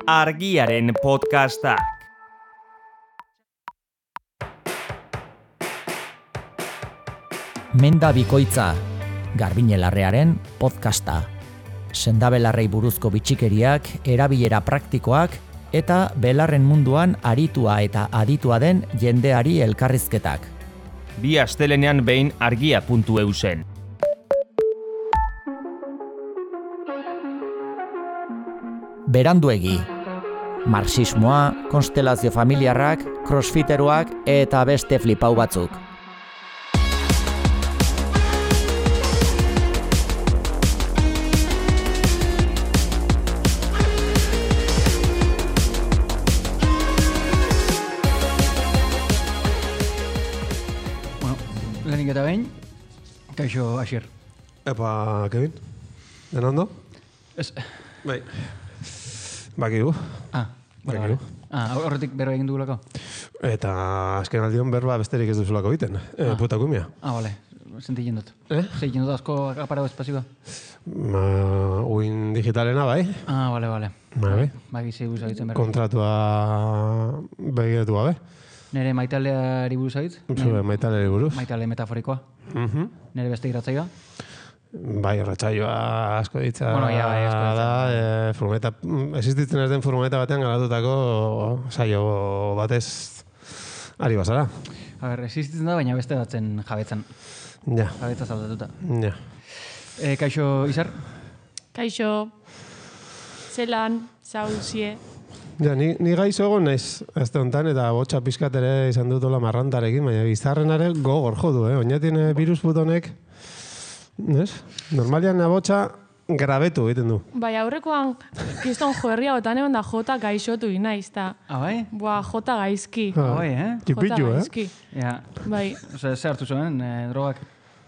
Argiaren podcastak. Menda bikoitza, Garbiñelarrearen podcasta. Sendabelarrei buruzko bitxikeriak, erabilera praktikoak eta belarren munduan aritua eta aditua den jendeari elkarrizketak. Bi astelenean behin argia.eu zen. Beranduegi. Marxismoa, konstelazio familiarrak, crossfiteroak eta beste flipau batzuk. Lehenik eta behin, kaixo Asier. Epa, Kevin, dena ondo? Ez. Bai. Bakigu. Vale. Horretik berba egin dugulako? Eta azken aldion berba besterik ez duzulako egiten. Puta kumia. Vale. Sentitzen dut. Sentitzen dut asko aparau espazioa? Uin digitalena, bai. Vale. Bai. Baki buruz agitzen berba. Kontratua begiratu gabe. Nere maitaleari buruz agitz? Maitaleari buruz. Maitale metaforikoa. Nere beste iratzaioa? Bai, horretxaioa asko ditza asko da, furgoneta, existitzen ez den furgoneta batean garatutako saio batez ari bazara. A ber, existitzen da, baina beste batzen jabetzan. Ja. Jabetza zaldatuta. Ja. Kaixo, Izar? Kaixo, zelan, zauzie. Ja, ni gaizo egon naiz azte honetan, eta botxa pizkat ere izan dut ola marrantarekin, baina bizarrenare gogor jodu, oinatin virus butonek, ez? Normalian abotxa grabetu egiten du. Bai, aurrekoan kiston joerria otan egon da jota gaixotu inaiz, eta... Bai? Boa, jota gaizki. Bai, Txipitxu, Jota gaizki. Ja. Bai. Ose, ze hartu zuen, drogak?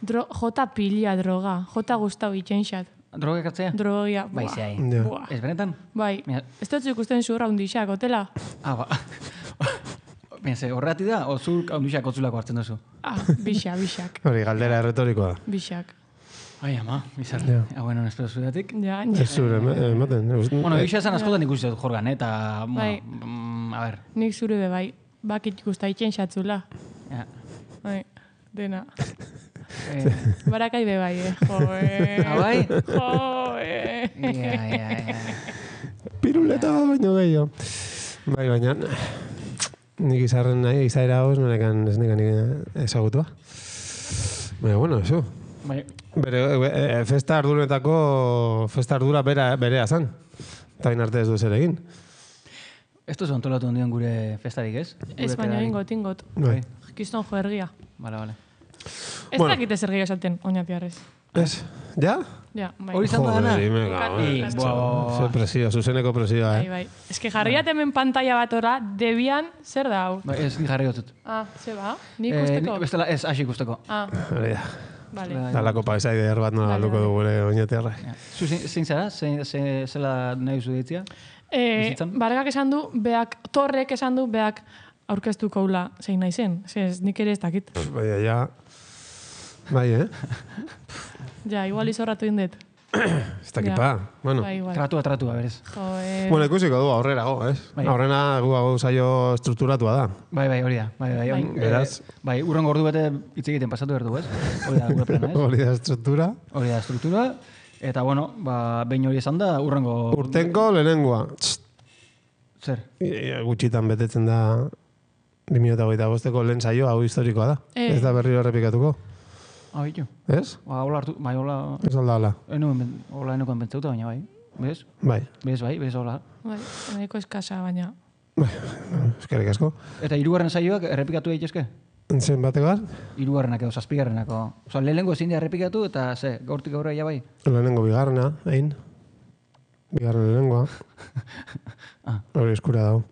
Jota pila droga, jota guztau itxenxat. Drogak hartzea? Drogia, Bai, boa. zehai. Boa. Ez benetan? Bai, ez dut ikusten zurra hundixak, otela? Ba. Benze, horreti da, o zur hundixak otzulako hartzen duzu? Bixak. Hori, galdera erretorikoa da. Bixak. Ai, ama, bizar. Ja. Bueno, espero zudatik. Ja. Ez zure, ematen. Bueno, egia esan askotan ikusi dut jorgan, eta... Bai. A ber. Nik zure be bai, bakit ikusta itxenxatzula. Ja. Bai, dena. Barakai be bai, Bai? Ja. Piruleta baino gehiago. Bai, baina nik izarren nahi, izaera hau ez nekan ezagutua. Baina, bueno, eso. Bai. Bere, festa ardura berea zan. Eta arte ez du zer egin. Ez duzu antolatu ondion gure festarik, ez? Ez baina ingot. Bai. Kiston joergia. Vale. Ez dakite zer gehiago esaten, oinatiarrez. Ez? Ja? Ja, bai. Hori izan da dana? Zer presio, zuzeneko presioa, Bai. Ez que jarriat hemen pantalla bat ora, debian, zer da hau? Bai, ez ni jarri gotzut. Ze ba? Nik ikusteko? Bestela ez hasi ikusteko. Hori da. Vale. Dalako paisaide bat nola alduko du gure oinatiarra. Zu zein zara? Zela nahi zu ditzia? Bargak esan du, Torrek esan du, beak aurkeztuko ula zein nahi zen. Ez nik ere ez dakit. Baina, ja... Bai, Ja, igual izorratu indet. Ez dakit pa. Bueno, Bai, igual. Tratua, berez. bueno, ikusiko du aurrerago, ez? Aurrena gu saio estrukturatua da. Bai, hori da. Bai. Beraz. Bai, urrengo ordu bete hitz egiten pasatu behar du, ez? Hori da gure plana, ez? Hori da estruktura. Hori da estruktura. Eta, bueno, behin hori esan da, urrengo... Urtenko lehenengoa. Zer? Gutxitan betetzen da 2025ko lehen saio, hau historikoa da. Ez da berriro errepikatuko. Bitu. Ez? Hola hartu, bai, hola... Ez alda hala. Hola enokoan pentsauta, baina bai. Bez? Bai. Bez, hola. Bai, nahiko eskasa, baina... Bai, eskerrik asko. Eta hirugarren saioak errepikatu daitezke? Zen batekoa? Hirugarrenak edo zazpigarrenako. Osa, lehenengo ezin da errepikatu eta gaurtik aurrera ja bai? Lehenengo bigarrena, egin. Bigarren lehenengoa. Hori eskura dago.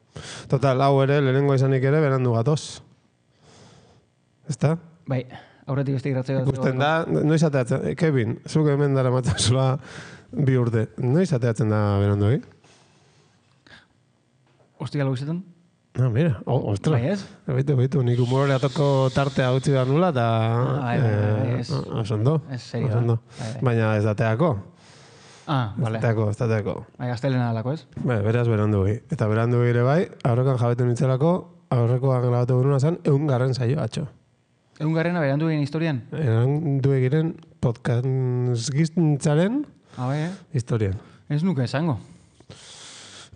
Total, hau ere, lehenengo izanik ere, berandu gatoz. Ezta? Bai, aurretik beste gratzea. Ikusten da, noiz ateatzen, Kevin, zuk hemen dara matazula 2 urte. Noiz ateatzen da berandu egin? Ostia logizetan? Mira, ostra. Bai ez? Baitu, nik humorore atoko tartea utzi behar nula, eta... Bai, osondo. Ez serio. Baina ez dateako. Ah, vale. Estateko. Bai, astelena alako, ez? Bai, beraz berandugi. Eta berandugi ere bai, aurrekoan jabetu nintzelako, aurrekoan grabatu genuna zen, 100. saio, atxo. 100 berandu egin historian? Berandugi giren podcast giztintzaren Bai, historian. Ez nuke esango.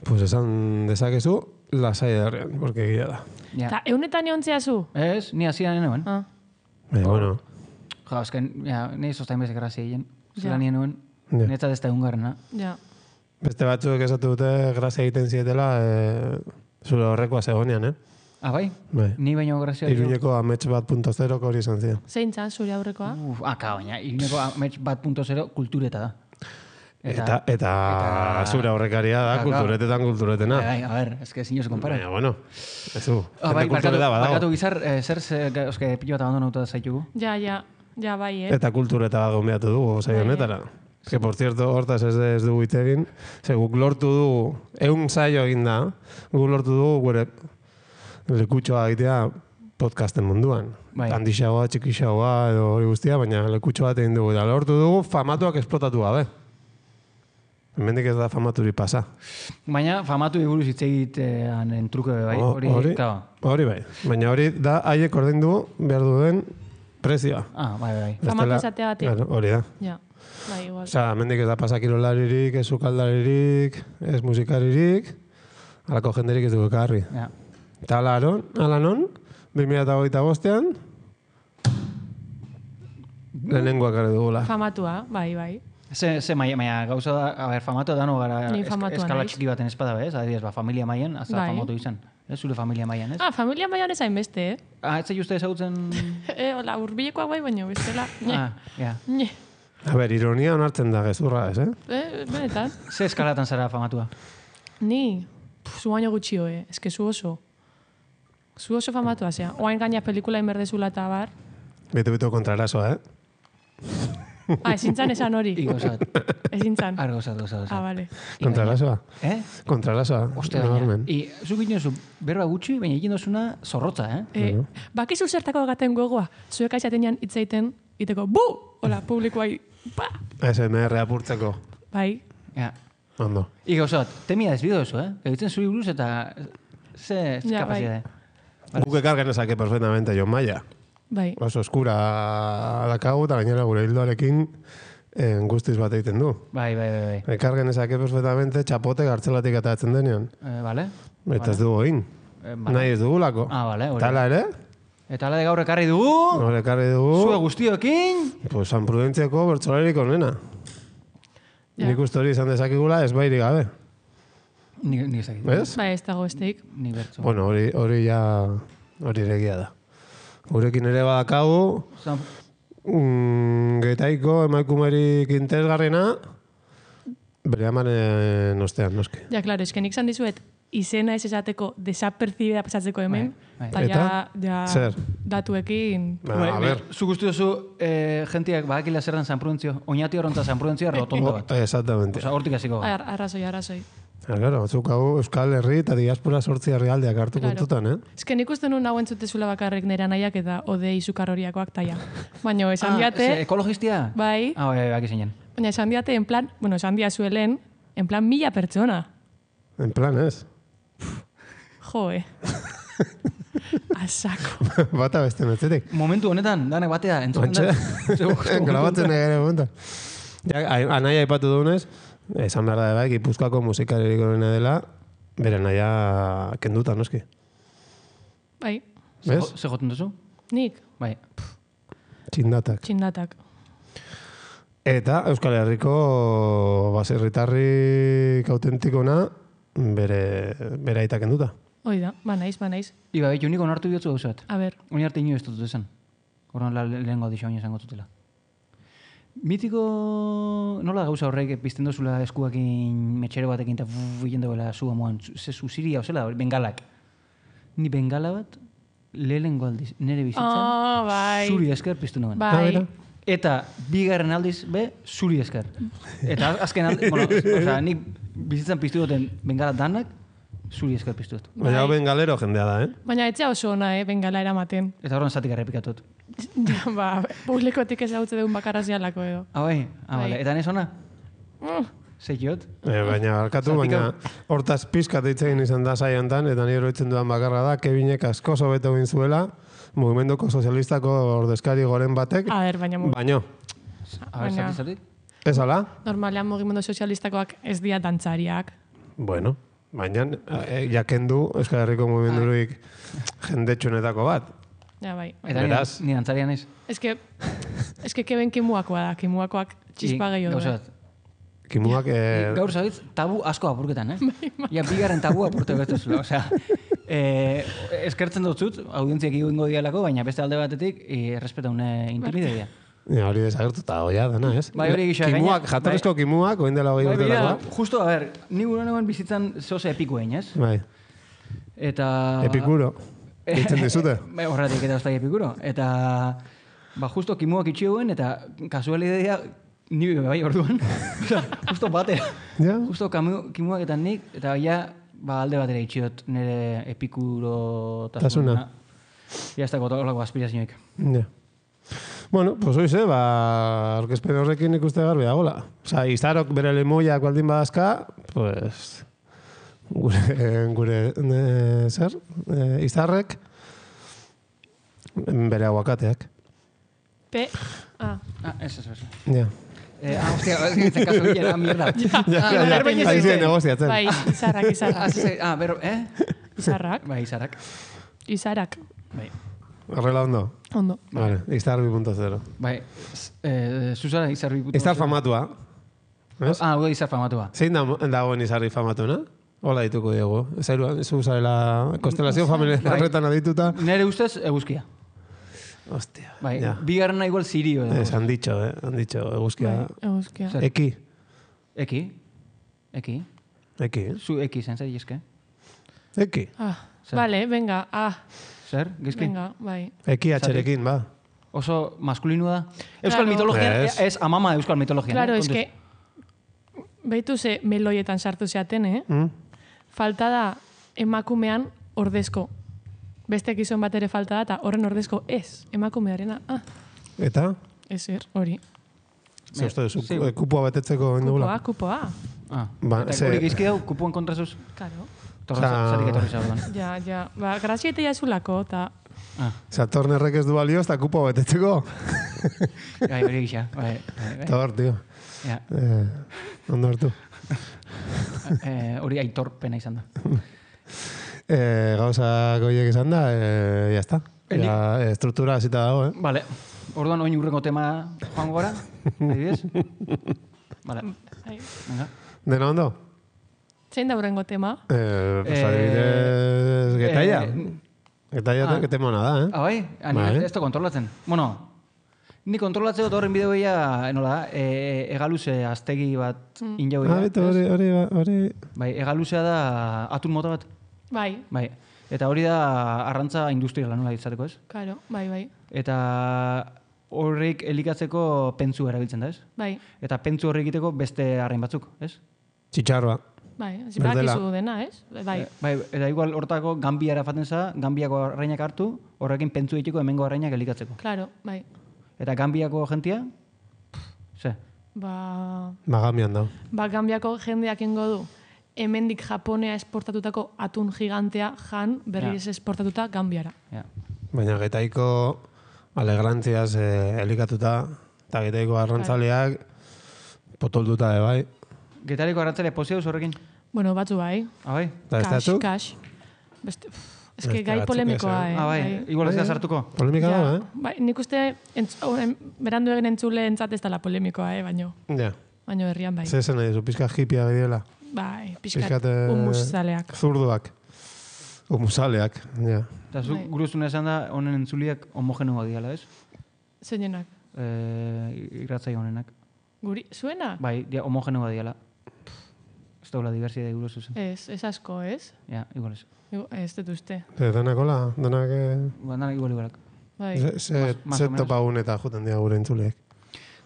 Pues esan dezakezu, lasai darrean, porque egia da. Ja. Ta, eunetan eontzea zu? Ez, ni hasian nuen. Ah, Baina, bueno, Ja, azken, ni sostain bezek grazia egin. Zela Ja. nien nuen, Ja. netzat ez da 100. ja. beste batzuek esatu dute grazia egiten zietela, zure horrekoa zegonean, Ah, bai? Bai. Ni baino grazia. Iruñeko amets bat .0 hori izan ziren. Zein zan zure aurrekoa? Baina, Iruñeko amets 1.0 kultureta da. Eta zure aurrekaria da, kulturetetan kulturetena. Bai, a ver, es que sinio se compara. Baina, bueno, ez du. Bai, Kultureta badago. barkatu gizar, eske pilo bat abandonauta zaitugu. Ja, bai, Eta kultureta bat gombiatu dugu, saio honetara. Que, por cierto, hortaz ez dugu hitz egin, ze guk lortu dugu, 100 saio egin da, guk lortu dugu gure lekutxoa egitea podcasten munduan. Bai. Handixagoa, txikixagoa edo hori guztia, baina lekutxo bat egin dugu. Eta lortu dugu famatuak esplotatu gabe. Hemendik ez da famaturi pasa. Baina, famatu iguruz hitz egitean entruke bai, hori, claro. Hori bai. Baina hori da haiek ordaindu behar duen prezioa. Ah, bai. Famatu izatea batik. Claro, hori da. Ja, bai, igual. Osea, hemendik ez da pasakirolaririk, ez sukaldaririk, ez musikaririk, halako jenderik ez dugu ekarri. Ja. Eta ala non, 2025ean, lehenengoak gara dugula. Famatua, bai. Ze maia gauza da, a ver, famatu dano gara Ni famatua eskala naiz. txiki baten espada, bez? Adibidez, familia maian, hasta Bai. famatu izan. Ez zure familia maian, ez? Ah, familia maian ezain beste, Ez zei uste ezagutzen... Hola, urbilekoak bai, baina bestela. Ja. A ber, ironia onartzen da gezurra, ez, Benetan. Ze eskalatan zara famatua? Ni, zu baino gutxio, eske zu oso. Zu oso famatua, zea. Oain gaina pelikula inberdezula eta bar. Bitu kontrarazoa, Ezin zan esan hori. Igozat. Ezin zan. Gozat. Ah, vale. Kontrarazoa. Kontrarazoa, nabarmen. zuk egin duzu berba gutxi, baina egin duzuna zorrotza, Bakizu zertako gaten gogoa. Zuek aizatenean hitz egiten, iteko, bu! Hola, publikoai, pa! SMR apurtzeko. Bai. Ja. Ondo. Igozat, temia ez bido duzu, Egitzen zuri buruz eta ze Ja, kapazidade. Guk ekar genezake perfectamente Jon Maia. Bai. Oso eskura dakagu eta gainera gure hildoarekin guztiz bat egiten du. Bai. Ekar genezake perfectamente txapote gartzelatik atatzen denean. Bale? Eta ez dugu egin. Nahi ez dugulako. Ah, bale, hori. Tala ere, Eta ala de gaur ekarri dugu, hor ekarri zue dugu, guztiokin, pues San Prudentziako bertzolarik onena. Ja. Nik uste hori izan dezakigula ez bairi gabe. ni ezakit. Ez? Bai, ez dago besteik. Ni bertzo. Bueno, hori ja, hori egia da. Gurekin ere badakagu, getaiko emaikumerik interesgarrena, bere amaren ostean, noski. Ja, klaro, esken nik zan dizuet, izena ez esateko desapercibida pasatzeko hemen, Bai. eta ja Zer? datuekin... A ber, Zu guzti duzu, gentiak badakila zer den San Prudentzio, oinati horrentza San Prudentzio rotondo bat. exactamente. Osa, hortik hasiko. Arrazoi. Claro, batzuk hau Euskal Herri eta diaspora 8 herrialdeak hartu Claro. kontutan, Esken ikusten nun hauen zutezula bakarrik nera nahiak eta odei sukarroriakoak taia. Baina esan diate, ekologistia? bai, Bai, baki zinen. baina esan diate, en plan, esan dia zuelen, en plan 1000 pertsona. En plan, ez? Jo, Asako. Bata beste netzetik. Momentu honetan, danak batea, entzuten da. Grabatzen egin momentu. Ja, anaia aipatu dugunez, esan behar da bai, Gipuzkoako musikaririk onena dela, bere naia kenduta, noski. Bai, Bez? Ze joten duzu? nik, Bai. Txindatak. txindatak. Eta Euskal Herriko baserritarrik autentikona bere aita kenduta. Hoi da, ba naiz. Iba, behitu nik onartu bihotzu gauzat. A ber, Oin arte ino ez dut esan. Horren lehenko audizio baina esango zutela. Mitiko nola gauza horrek pizten dozula eskuakin metxero batekin eta egin dagoela zua moan. Ze zuziria, ozela, bengalak. Ni bengala bat, lehenko aldiz, nire bizitzan, bai. zuri esker piztu nuen. Bai. Eta bigarren aldiz, zuri esker. Eta azken aldiz, bueno, osea, nik bizitzan piztu duten bengala danak, zuri esker piztu dut. Baina hau bengalero jendea da, Baina etzea oso ona, bengala eramaten. Eta horren zatik errepikatut. Ja, ba, publikotik ez hau deun bakarra zialako edo. Ah, bai? Ah, Bai. bale. Eta nes ona? Zeiot. Baina, barkatu, baina hortaz pizkat egin izan da saio hontan, eta nire oroitzen dudan bakarra da, Kevinek asko hobeto egin zuela, mugimenduko sozialistako ordezkari goren batek, A ber, baina baino. A ber, zati? Ez ala? normalean mugimendu sozialistakoak ez dira dantzariak. Bueno, baina jakendu Euskal Herriko mugimendurik jendetxunetako bat. Ja, bai. Eta Beraz. ni dantzarian ez. Ez que keben kimuakoa da, kimuakoak txispa gehiago Gauza da. bat. Kimuak... Gaur zabitz, tabu asko apurketan, Ja, bigarren tabu apurte bertuzula, osea. Eskertzen dut zut, audientziak egingo dialako, baina beste alde batetik, errespetaune intimidea. Ja, hori desagertuta hoia dana, ez? Bai, hori gisa, Kimuak, gaina- jatorrizko kimuak, oin dela hogei Bai, urtelakoa. justo, a ber, ni gure neuen bizitzan zoze epikoen, ez? Bai, Eta... epikuro. Ditzen dizute. Bai, horretik eta ostai epikuro. Eta, justo kimuak itxioen, eta kasualidea ni bai orduan. Justo batera. Ja? Justo kimuak eta nik, eta alde batera itxiot nire epikuro Tasuna. Ja, ez dago olako aspirazioik. Ja. Bueno, pues hoize, aurkezpen horrekin ikuste garbi dagoela. Osa, izarok bere lemoiak baldin badazka, pues... Gure zer? Izarrek bere aguakateak. Ez. Ja. Hostia, ez gintzen kasu gila, mierda. Ari ziren negoziatzen. Bai, izarrak. Bero, Izarrak. Bai, izarak. Izarak. Bai. Horrela ondo. Ondo. Vale, izar 2.0. Bai, zuzara izarri puto. Izar famatua. Ez? Hau izar famatua. Zein dagoen izarri famatuena? Hola dituko diego. Zu zarela konstelazio familiar horretan adituta. Nere ustez, eguzkia. Hostia. Bai, ja. bigarrena igual zirio. Han dicho, eguzkia. Eguzkia. Zer? Eki. Eki. Zu Eki zen, zer eske? Eki. Zer? Vale, venga, Zer, gizki? venga, bai. Eki atxerekin, ba. Oso maskulinu da. Euskal Claro. mitologia, Ez. ez amama euskal mitologia. Claro, es que behitu ze meloietan sartu zeaten, Falta da emakumean ordezko. Beste gizon bat ere falta da, eta horren ordezko ez, emakumearena. Eta? Ezer, hori. Ze uste duzu, kupua betetzeko indugula? Kupoa. Ba, Eta ze- hori gizki dau, kupuen kontrazuz, Claro. zatik etorri zauduan. Ja. Ba, graziete jazulako, eta... Satornerrek ez du balio, ez da kupua betetzeko. Bai, hori gisa. Bai. Eta hor, tio. Ja. Ondo hartu. Hori aitorpena izan da. Gauza goiek izan da, jazta. Ja, struktura hasita dago, Vale. Orduan oin urrengo tema joango gara? Adibidez? Vale. Ai. Venga. Dena ondo? Zein da horrengo tema? Pues adibidez, getaia. Getaia tema ona da, Bai? Bai. Ez da kontrolatzen. Bueno, ni kontrolatzeko eta horren bideo nola da, egaluze aztegi bat injau hori... Bai, egaluzea da atun mota bat. Bai, Bai. Eta hori da arrantza industriala nola izateko, ez? karo, bai. Eta horrek elikatzeko pentsu erabiltzen da, ez? Bai, Eta pentsu horrek egiteko beste arrain batzuk, ez? Txitxarroa. bai. Berdela. Badakizu dena, ez? Bai. Bai, eta igual hortako gambiara faten za, gambiako arrainak hartu, horrekin pentsu egiteko hemengo arrainak elikatzeko. Claro, bai. Eta gambiako jentia, ze? Ba, Magamian dago. Gambiako jendeak ingo du. Hemendik Japonea esportatutako atun gigantea jan berriz esportatuta Gambiara. Ja. Baina getaiko alegrantziaz elikatuta, eta getaiko arrantzaleak potolduta bai. Getariko arrantzale pozioz horrekin? Bueno, batzu bai. Bai? Eta ez datzuk? Cash. Beste, ez que Beste gai batzuk polemikoa, ez, Bai, igual ez da sartuko. Polemika Ja, dago, bai, nik uste berandu egin entzule entzat ez dela polemikoa, baino. Ja. Baino herrian bai. Zer zen nahi duzu, pizka hipia gehiela. Bai, pixkat Pixkat, humuzaleak. Zurduak. Humusaleak, ja. Eta zuk Bai. guruzun esan da, honen entzuliak homogenua diala, ez? Zeinenak. Irratzai honenak. Guri, zuena? Bai, dia homogenua diala. Ez daula diversidade gure zuzen. Ez asko, ez? Ja, igual ez. Ez dut uste. Denak hola, denak... Ba, dana igualak. Bai. Ze topagun eta juten dira gure entzuleek.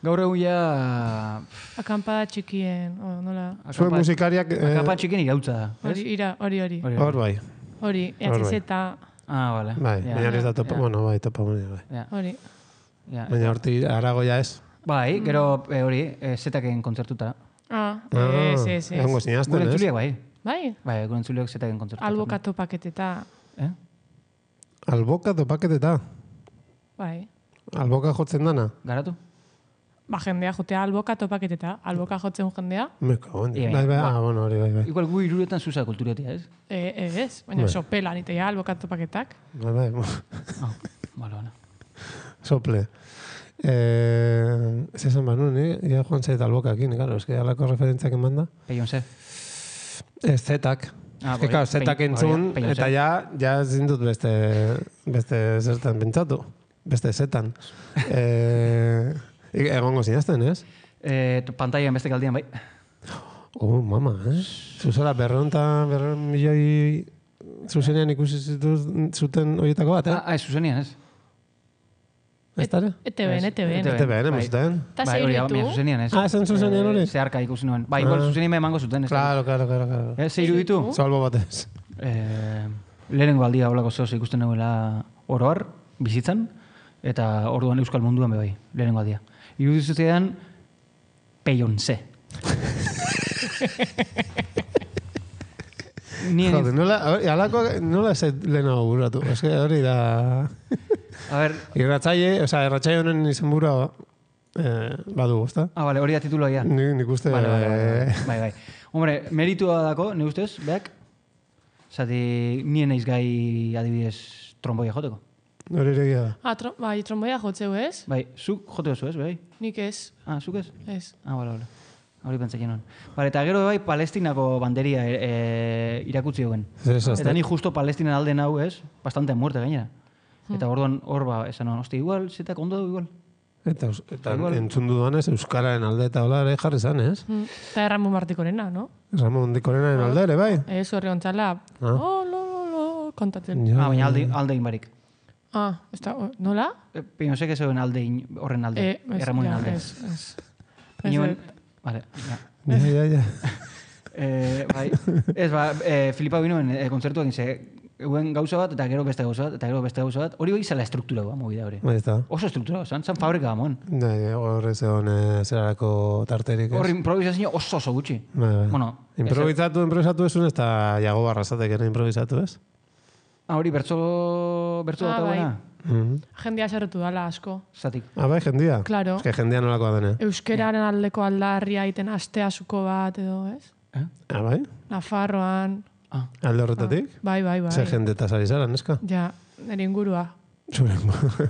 Gaur egun ja... Akampada txikien, nola? Zuen musikariak... Akapan txikin irautza da, ez? Hori. Hor bai. Hori, EHZ, Bale. Bai, Ja. baina ez da topa... Ja. Bueno, bai, topagun bai. Ja. hori. Ja. Baina horti aragoia ez. Bai, gero hori, zetaken kontzertuta. Ez. Egongo zinazten, Gure ez? entzuliak, bai. Bai, Bai, gure entzuliak zetaken kontzertu. alboka topaketeta. Alboka topaketeta. Bai. Alboka jotzen dana. Garatu? Ba, jendea jotea alboka topaketeta. Alboka jotzen jendea. Me cago en... Bai, bueno, hori, bai. Igual gu iruretan zuza kulturatia, ez? Ez, baina sopela nitea alboka topaketak. Bai. Bale. Sople. Ez esan banu, ja joan zait albokakin, claro, eske alako referentziak eman da. Beyoncé. Ez zetak. Eske, claro, zetak entzun, eta ja zindut beste zertan pentsatu. Beste zetan. Egongo zinazten, ez? Pantailan beste galdian, bai. Mama, Zuzara, 200 milioi zuzenean ikusi zuten horietako bat, Ez, zuzenian, ez? Ez dara? ETB-en. ETB-en, emozuten. Ta Bai, hori, zeiritu. zuzenian, ez? Zen zuzenean hori? Zeharka ikusi nuen. Bai, igual zuzenian emango zuten, ez? Claro. Ze iruditu? Salbo batez. Lehenengo aldia holako zehoz ikusten nuela oroar, bizitzan, eta orduan euskal munduan bai, lehenengo aldia. Iruditu zutean, Beyoncé. Jode, nola ez lehenago burratu? Ez que hori da... A ver... Irratzaile honen izen burua badu, ezta? Bale, hori da tituloa ya. Nik uste... Bai. Hombre, meritua dako, ne ustez, beak? Zati, nien naiz gai adibidez tromboia joteko. Hori egia da. Bai, tromboia jotzeu ez? Bai, zuk jote oso ez, bai? Nik ez. Zuk ez? Ez. Bale. Hori pentsatzen nuen. Bale, eta gero bai Palestinako banderia irakutzi hogen. Eta ni justo Palestinan alde nau ez, bastante muerte gainera. Eta orduan hor esan hon, igual, zetak ondo du igual. Eta entzun dudanez Euskararen alde eta hola ere jarri zan, ez? Eta Ramon Martikorena, no? Ramon Dikorenen alde ere, bai? Ez horri ontzala, kontatzen. Baina alde inbarik. Ez da, nola? Pinosek ez horren alde, Ramonen alde. Ez. Vale, ja. Bai, ez Filipa binoen kontzertuak inze, eguen gauza bat, eta gero beste gauza bat, hori bai zela struktura guan, movida hori. Oso struktura zan fabrika gamon. Horre zegoen zerarako tarterik, ez? Horri improvisazio oso gutxi. Bueno, improvisatu esun, ez da jago barrazatek ere improvisatu, ez? Hori bertso bat dagoena? Jendia zerretu dala asko. Zatik. Bai, jendia? Claro. Ez que jendia nolakoa dene. Euskeraren aldeko aldarria iten asteasuko bat edo, ez? Bai? Nafarroan. Alde horretatik? Bai. Zer jende eta zari zara, neska? Ja, nire ingurua. Zure ingurua.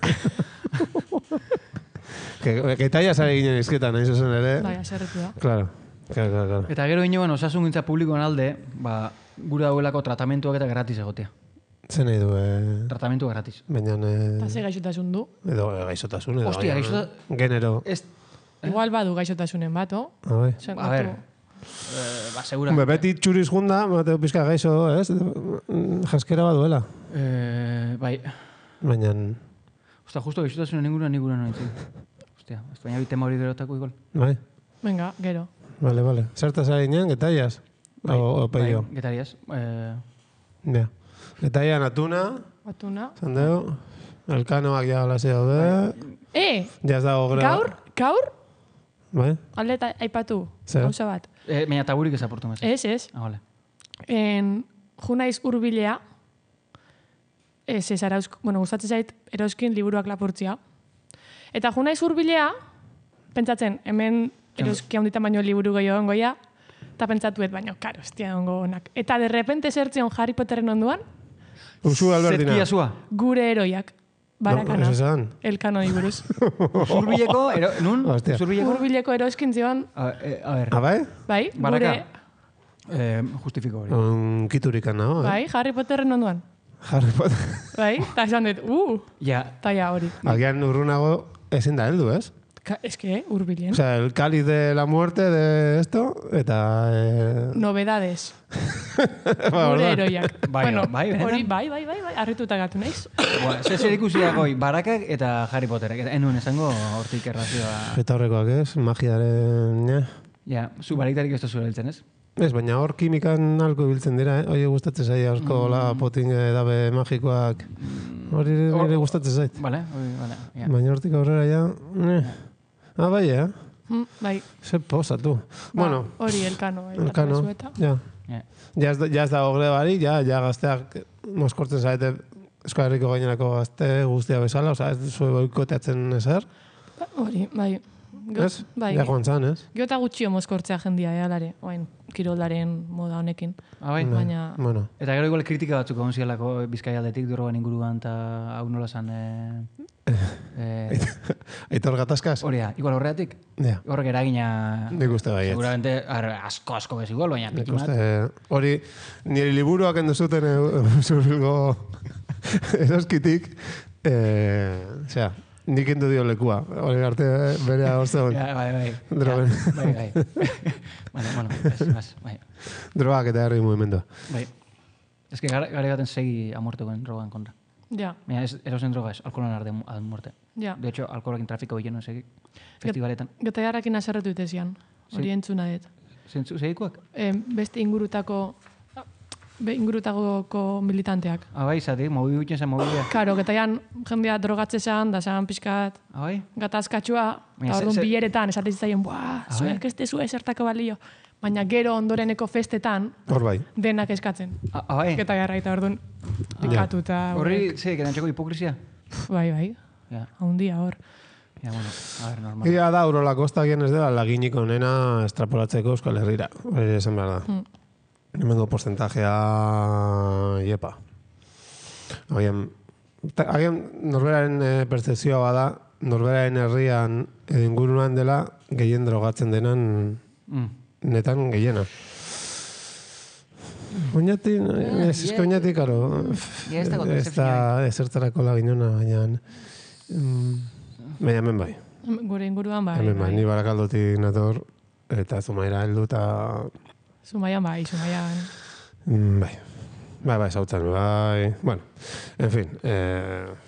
Ketaia zari ginen izketan, nahi zuzen ere. Bai, zerretu da. Claro. Eta gero inoen osasun gintza publikoan alde, gure dauelako tratamentuak eta gratis egotea. Zen nahi du, Tratamentu gratis. Baina... Eta ze gaixotasun du? Edo gaixotasun, edo... Hostia, gaixotasun... Genero. Igual badu gaixotasunen bat, Bai. A ver... segura. Beti txuriz junda, mateo pizka gaixo, ez? Jaskera baduela. Bai. Baina... Osta, justo gaixotasunen inguruan nintzen. Ostia, baina bitema hori gerotako igual. Bai. Venga, gero. Vale. Zertaz ari ginen, getaiaz? O peio? Bai, getariaz. Ja. Getaian atuna. Zandeo. Elkanoak ja hola daude. Ja ez dago greba. Gaur? Bai? Alde eta aipatu. Zer? Gauza bat. Baina taburik ezaportu mez. Ez. Vale. Junaiz hurbilea. Gustatzen zait eroskin liburuak lapurtzia. Eta junaiz hurbilea, pentsatzen, hemen eroski handitan baino liburu gehiago ongoia, eta pentsatuet baino, karo, estia ongo onak. Eta de repente zertzion Harry Potteren onduan, Usu Albertina. Zetkia zua. Gure eroiak. Barakana. Elkano buruz. Urbileko, nun? Urbileko eroskin zion. A ver. Bai? Bai, Baraka. Justifiko hori. Kiturikan nago, Bai, Harry Potteren onduan. Harry Potter. Bai, eta esan dut, Ja. taia hori. Agian urrunago ezin da heldu, ez? Es que, urbilen. O sea, el cáliz de la muerte de esto, eta... Novedades. Gure eroiak. Hori, bai, arrituta gatu naiz. Zer ikusi dagoi, Barakak eta Harry Potterak. Enuen esango hortik errazioa... Eta horrekoak ez, magiaren... Ja, zu baraktarik ez da zure heltzen, ez? Ez, baina hor kimikan alko biltzen dira, Oie gustatzen zait, asko potin dabe magikoak. Hori nire gustatzen zait. Vale. Baina hortik aurrera ja... Bai, Bai. Ze posatu. Bueno, Hori elkano. elkano, ja. Ja ez da ogrebari, ja gazteak moskortzen zaete Euskal Herriko gainerako gazte guztia bezala, oza, ez zuen boikoteatzen ezer. Hori, bai. Ez? Bai. Ja joan zan, ez? Gero eta gutxio mozkortzea jendia, alare. Oain, kiroldaren moda honekin. Bai. Baina... Bueno. Eta gero igual kritika batzuk egon zialako Bizkaia aldetik drogan inguruan, eta hau nola zan... Aitor gatazkaz? Horia, igual horreatik? Ja. Horrek eragina... Nik uste baiet. Seguramente asko bez igual, baina Nik pikimat. uste, hori, nire liburuak enduzuten zurbilgo eroskitik, osea, nik endu dio lekua. Hori arte berea horze hon. Ja, bai. Drogen. Bai. Bueno, bai. Drogak eta herri mugimendua. Bai. Ez que gare baten segi a muerto con drogan kontra. Ja, Mira, erosen droga es alkoholan arde a muerte. ja. De hecho, alkoholakin trafiko bileno segi festivaletan. Gotaiarrakin aserretu itezian. Hori entzuna dut. Segikuak? Beste ingurutako militanteak. Bai, zati, mobi gutxen zen mobidea. Karo, getaian jendea drogatze zan, da zan pixkat Bai? gatazkatxua, Baina eta orduan bileretan esaten zitzaien, zuek ez dezu esertako balio. Baina gero ondoreneko festetan, Hor bai. denak eskatzen. Bai? Getaiarra eta orduan ikatu eta... Horri, ze, gerantzeko hipokrizia? Bai. Ja, Haundia hor. ja, bueno, a ver, normal. Ia da, Urola Kostagien ez dela laginik onena estrapolatzeko Euskal Herrira. Hori esan behar da. Hemengo porcentajea iepa. Agian norberaren percepzioa bada, norberaren herrian edo inguruan dela gehien drogatzen denan netan gehiena. Oñati, oñati, karo. Ja, ez dago Ez da ezertarako laginona, baina... Baina hemen bai. Gure inguruan bai. Hemen bai, ni Barakaldotik nator, eta Zumaira heldu eta... Zumaian bai. Bai, zautzen, bai... Bueno, en fin...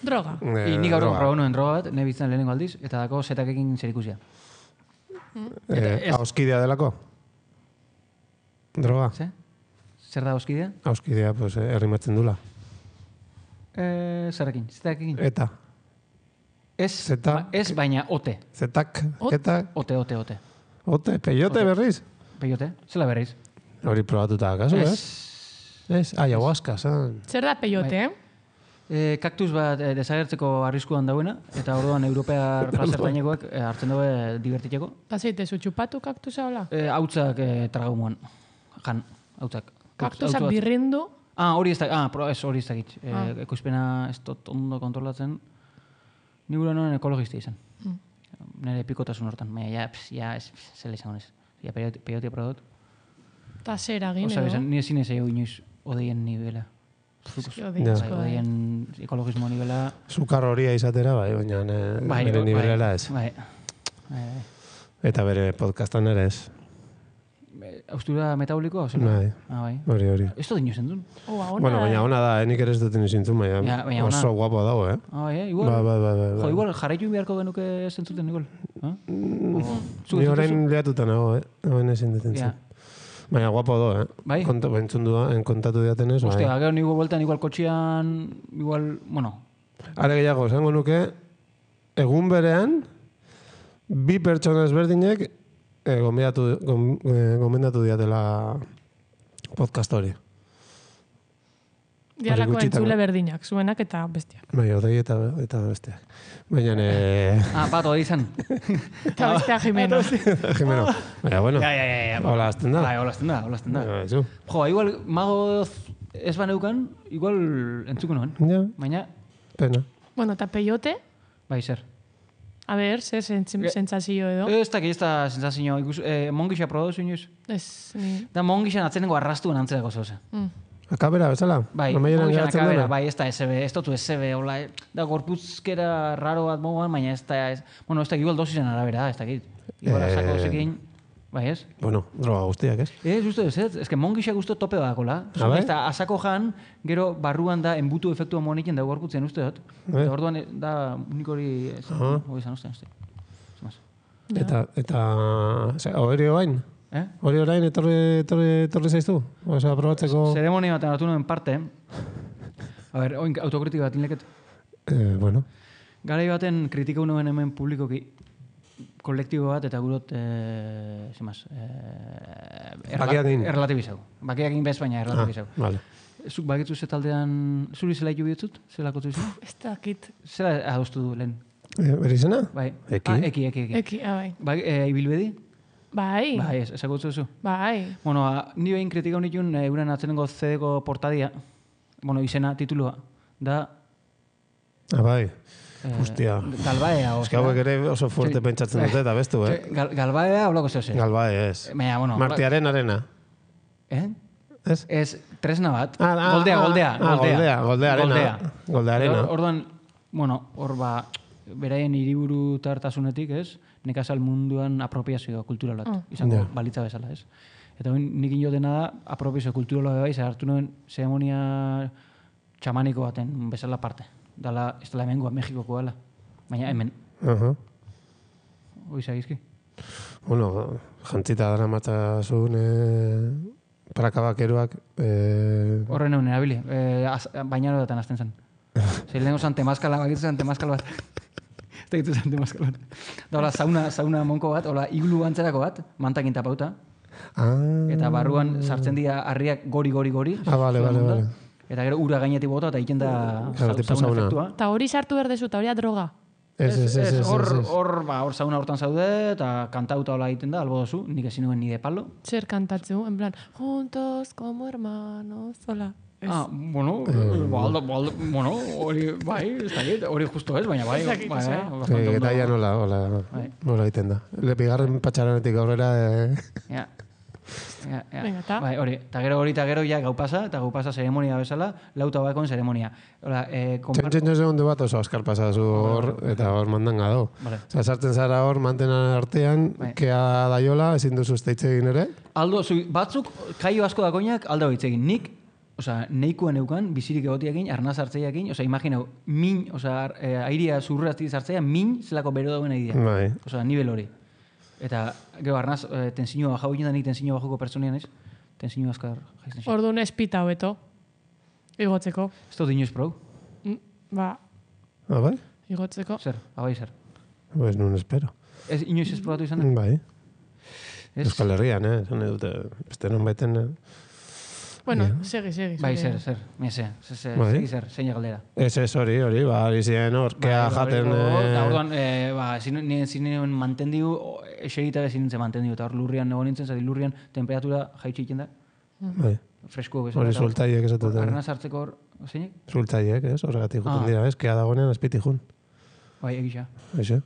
Droga. Nik gaur proba nuen droga bat, ne bizitzen lehenengo aldiz, eta dako zetakekin zerikusia. Auskidea delako? Droga? Ze? Zer da auskidea? Auskidea, pues, errimatzen dula. Zerrekin, zetakekin. Eta? Ez, Zeta? ez baina ote. Zetak? Eta? Ote. Ote? Peyote berriz? Peyote, zela berriz. Hori probatuta, akaso, ez? Ayahuasca, zan. Zer da peyote, Kaktus bat desagertzeko arriskuan dauena, eta orduan europear plazertainekoak hartzen daue divertitzeko. Eta zeitezu, txupatu kaktusa hola? Hautzak tragaumuan. Jan, hautzak. Kaktusak birrindu, Hori ez da, hori ez da gitz. Ekoizpena ez dut ondo kontrolatzen. Ni gure noren ekologista izan. Nire pikotasun hortan. Baina, zela izango nez. Peyote prodot. eta zer agin, Osa, edo? ni ezin ez egin inoiz odeien nivela. Odeien ekologismo nivela. Zukar horia izatera, bai, baina bere nibelela ez. Bai. Eta bere podcastan ere ez. Austura metabolikoa, oso? Bai. Bai. Hori. Ez dut inoz entzun. Bueno, baina ona da, nik ere ez dut inizintzun, Ja, baina baina ona. oso guapo dago, Bai, igual. Bai. Jo, igual, jarraitu beharko genuke zentzuten, igual. Ni orain lehatuta nago, Hemen ezin dut entzun. Baina guapo do, Bai? Kontatu diatenez, bai. Ostia, gero nigo bueltan, igual kotxian, igual, bueno. Are gehiago, esango nuke, egun berean, bi pertsona ezberdinek gomendatu diatela podcast hori. Dialako gutxitan, entzule berdinak, zuenak eta bestiak. Bai, odei eta besteak. Baina, Pato, izan. Eta bestea Jimeno. Jimeno. Baina, bueno, Ja. hola azten da. Bai, holazten da. Zu. Jo, igual, mago ez baneukan, igual entzuko nuen. Ja, Baina, pena. Bueno, eta peyote, bai, zer. a ber, zer sentsazio edo? Ez da sensazio, ikus, mongixa prodozu inoiz. Ez, ni... Da mongixan atzenengo arrastuen antzerako zoze. Akabera, bezala? Bai, Amaieran mongixan geratzen akabera, dena? bai, ez da SB, ez dutu SB, hola, da gorputzkera raro bat moguan, baina ez da, bueno, ez da, igual dosisen arabera da, ez dakit. Igual asako zekin, bai, ez? Bueno, droga guztiak, ez? Uste duz, ez que mongixak uste tope badakola. Bai? Ez da, asako jan, gero barruan da, enbutu efektua monekin da gorputzen uste dut. Eta orduan da, unik hori, hori izan uste. Eta, hori oain? Hori orain etorri zaiztu? Osa, probatzeko... Zeremonia batean hartu nuen parte. A ber, oin autokritika bat inleket. Bueno. Garai baten kritikau nuen hemen publikoki. kolektibo bat eta gurot, zemaz, Bakiakin. erlatibizau. Bakiakin bez, baina erlatibizau. Vale. Zuk bakitzu ze taldean, zuri zela hitu bihotzut? Zelako tu izan? Ez dakit. Zela adostu du lehen? Bere izena? Bai. Eki. Eki. Eki, bai. Bai, ibilbedi? Bai. Bai, ezagutzu zu. Bai. Bueno, ni behin kritika honitun euren atzenengo CD-ko portadia, bueno, izena, titulua, da... Bai. Hostia. Galbaea. Ez que hauek ere oso fuerte pentsatzen dute, eta bestu, Galbaea, holako zeu zen. Galbae, ez. Baina, bueno... Martiaren arena. Ez? Ez, tresna bat. Goldea arena. Goldea arena. Orduan, bueno, hor beraien hiriburu tartasunetik, ez? Nekazal munduan apropiazio kultural bat. Izango balitza bezala, ez? Eta nik ino dena da, apropiazio kulturala bai, hartu nuen zeremonia txamaniko baten bezala parte. Dala, ez dela hemengoa, Mexikokoa dela. Baina hemen. Hoi zagizki? Bueno, jantzita dara matzazun prakabakeroak... Horren egun erabili. Bainaro datan azten zen. Zer lehenko zan temazkala, bakitu zan temazkala bat. Ez da gitu zan temazkala bat. Da, hola, sauna monko bat, hola, iglu antzerako bat, mantakin tapauta. Eta barruan sartzen dira harriak gori. Vale. Eta gero ura gainetik bota eta egiten da sauna efektua. Eta hori sartu berdezu, eta hori droga. Ez, hor sauna hortan zaude, eta kantauta hola egiten da, albo dozu, nik ezin nuen ni de palo. Zer kantatzu, en plan, juntos como hermanos, hola. Bueno, hori, bai, ez da hori justo ez, baina bai. Eta ya nola egiten da. Bigarren patxaranetik aurrera... Venga, ta. Bai, hori. Eta gero ja gau pasa zeremonia bezala, lauta bakon zeremonia. Txentxen segundu bat oso askar pasazu hor, eta hor mandan gado. Sartzen zara hor, mantenan artean, kea daiola, ezin duzu esteitze egin ere? Aldo, batzuk, kaio asko dakoinak, aldo hitz egin. Nik, neikoan eukan, bizirik egotiakin, arnaz hartzeiakin, imaginau, min, airia zurrazti zartzeia, min zelako bero dauen aidea. Bai. Nivel hori. Eta, gero, arnaz, tensiño bajau egin da nik tensiño bajuko pertsonian ez? Tensiño azkar jaizten. Orduan espita hobeto, igotzeko. Ez dut inoiz prou? Ba. Bai? Igotzeko. Zer, abai zer. Pues nun espero. Ez inoiz ez probatu izan? Bai. Euskal Herrian, zan edute, beste non baiten... Bueno, segi. Bai, zer, segi zer, zein galdera. Ez hori, hori ziren hor, kea jaten... Orduan, zinen mantendiu, esegita ezin nintzen mantendiu, eta hor lurrian nego nintzen, zati lurrian temperatura jaitxe egiten da. Bai. Fresko bezala. Hori zultaiek esatuten. Arnaz hartzeko hor, zeinek? Zultaiek, ez? Horregatik juten dira, ez? Kea dagoenean azpiti jun. Bai, egisa. Eixe.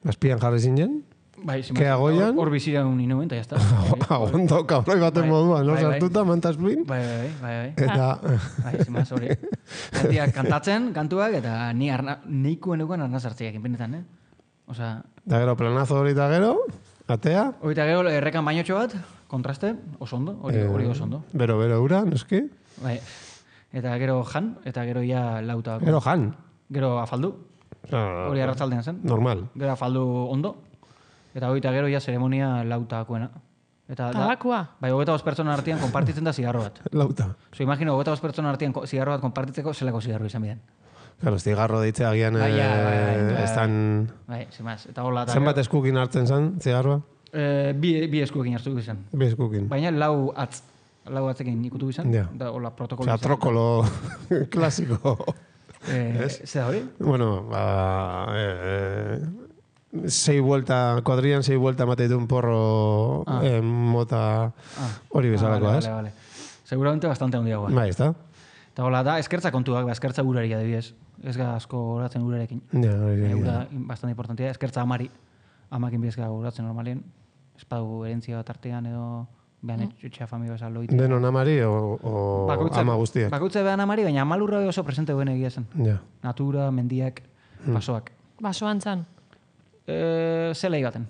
Azpian jarri zinen? Bai, kea goian? Hor bizira un inuen, eta jazta. Ondo, kabroi baten moduan, no? Sartuta, mantazpin? Bai. Eta... Bai, zimaz, hori. Gantiak kantatzen, kantuak, eta neikuen euken arnaz hartzeak, inpenetan, Osa... Da gero, planazo hori eta gero, atea? Hori eta gero, errekan bainotxo bat, kontraste, oso ondo, hori oso ondo. Bero ura, noski? Bai. Eta gero jan, eta gero ja lauta. Gero jan? Gero afaldu. Hori arratzaldean zen. Normal. Gero afaldu ondo. Eta hori eta gero ja zeremonia lautakoena. Tabakua? Bai, 25 pertsona artean konpartitzen da zigarro bat. Lauta. Imagino, 25 pertsona artean zigarro bat konpartitzeko zelako zigarro izan bidean. Claro, zigarro deitzea agian estan... Bai, zemaz. Eta hola... Zenbat eskukin hartzen zen, zigarroa? Bi eskuekin hartu izan. Bi eskukin. Baina lau atzekin ikutu izan. Ja. Da hola protokolo. Osa, trokolo klasiko. Zer hori? Bueno, kuadrian 6 vuelta mateitu un porro mota hori bezalakoa, ez? Vale. Seguramente bastante handiagoa. Bai, ez da? Eta hola da, eskertza kontuak, eskertza uraria adibidez. Ez ga asko horatzen urarekin. Ja, hori. Ura bastante importantea, eskertza amari. Amakin bidezka horatzen normalien. Espadu herentzia bat artean edo behan etxea familia bezala loitea. Denon amari o ama guztiak? Bakoitza behan amari, baina amalurra oso presente duen egia zen. Ja. Natura, mendiak, basoak. Basoan zan? Zelai baten.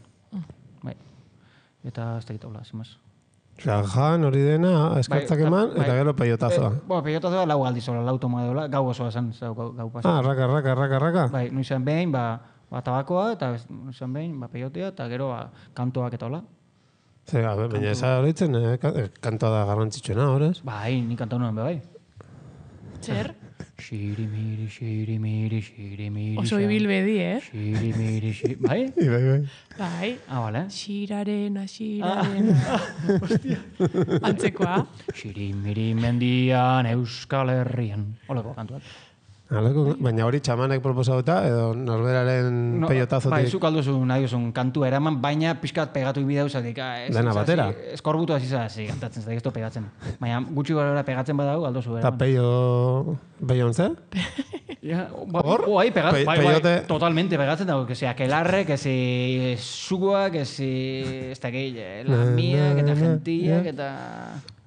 Bai. Eta ez dakit hola, zimaz. Osa, jan hori dena, eskertzak eman, eta gero peiotazoa. Peiotazoa lau aldiz, lau toma dola, gau osoa zen, gau pasa. Raka. Bai, nuizan behin, tabakoa, eta nuizan behin, peiotea, eta gero kantoak eta hola. Zer, baina eza horitzen, kantoa da garrantzitsuena, horrez? Bai, ni kantau nuen, bai. Zer? Xirimiri, xirimiri, xirimiri. Oso ibilbedi, Xirimiri, bai? Bai. Bai. Vale. Xirarena. Hostia. Antzekoa. Xirimiri mendian Euskal Herrian. Oleko kantuat. Baina hori txamanek proposatuta, edo norberaren peiotazotik... Bai, zuk alduzu nahi duzun kantua eraman, baina pixkat pegatu ibideu zatik. Dena batera. Eskorbutu hasi zazi kantatzen, zatik ez pegatzen. Baina gutxi gara pegatzen badau, alduzu eraman. Eta peio ontze? Hor? Bai, totalmente pegatzen dago, que si aquelarre, que si sugua, que si ez da gehi, lamiak eta gentiak eta...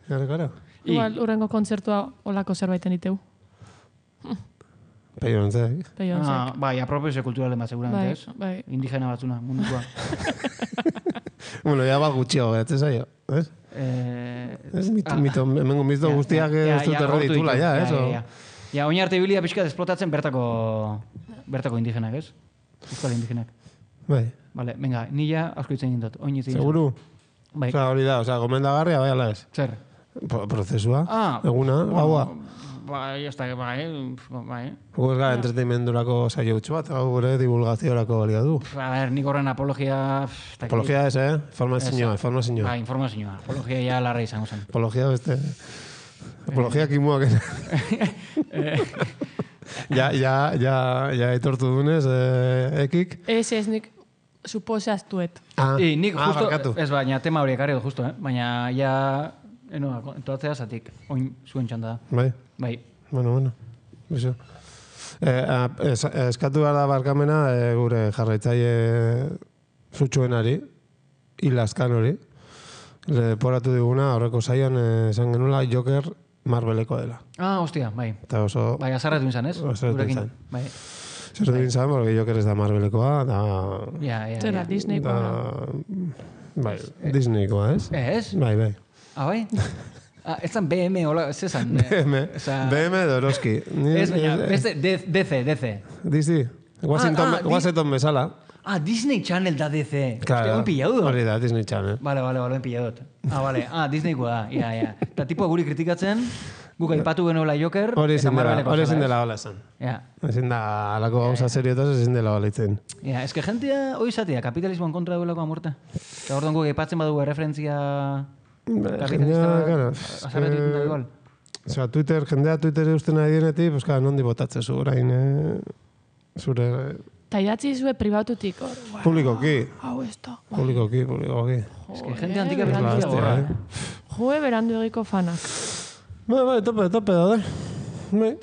Gara. Igual, urrengo kontzertua olako zerbaiten diteu. Peio ontze. Bai, apropio kulturalen bat, seguramente, ez? Bai. Indigena batzuna, mundukoa. Bueno, ya ba gutxio geratzen zaio, ez? Hemengo mito guztiak ez dut erreditula, ja, ez? Ja, oin arte bilia pixkat esplotatzen bertako indigenak, ez? Euskal indigenak. Bai. Vale, venga, nila asko itzen gintot. Seguru? Bai. Hori da, gomendagarria, bai, ala ez? Zer? Prozesua, eguna, gaua. Bai, ez da, bai. Gu ez gara entretenimendurako saio utxu bat, gure divulgaziorako balia du. A ver, nik horren apologia... Apologia ez, Informazioa. Ba, informazioa. Apologia ja larra izango zen. Apologia beste... Apologia kimuak. Ja etortu dunez, ekik. Ez, nik suposaztuet. Nik justo... barkatu. Ez, baina tema horiek ari justo, baina ja... entoatzea zatik, oin zuen txanda da. Bai. Bai. Bueno. Eso. Eskatu behar da barkamena gure jarraitzaile zutxuenari, Ilaskan hori. Leporatu diguna, horreko saioan esan genula Joker Marveleko dela. Hostia, bai. Eta oso... Bai, azarretu izan, ez? Azarretu izan. Bai. Zerretu izan, porque Joker ez da Marvelekoa, da... Zera, Disneykoa. Bai, Disneykoa, ez? Ez? Bai. Bai? Ez zan BM, hola, ez zan. BM Doroski. Ez, baina, DC. DC. Washington bezala. Disney Channel da DC. Claro, Hostia, pillau dut. hori da, Disney Channel. Vale, pillau dut. Vale. Disneykoa da, ja. Eta tipo guri kritikatzen, guk aipatu genuela Joker, eta Marveleko. Hori ezin dela hola esan. Ja. Ezin da, alako gauza seriotaz ezin dela hola itzen. Ja, eske jentia, hoi zatea, kapitalismoan kontra duelako amorta. Eta orduan guk aipatzen badugu referentzia... Jendea, azarretik da igual. Osea, jendea Twitter eusten nahi dienetik, pues claro, nondi botatze zu, orain, zure... Ta idatzi zue pribatutik, hor. Publikoki. Hau ez da. Publikoki. Eske gente antika berandu gorra. Joe berandu egiko fanak. Bai, tope daude. Bai.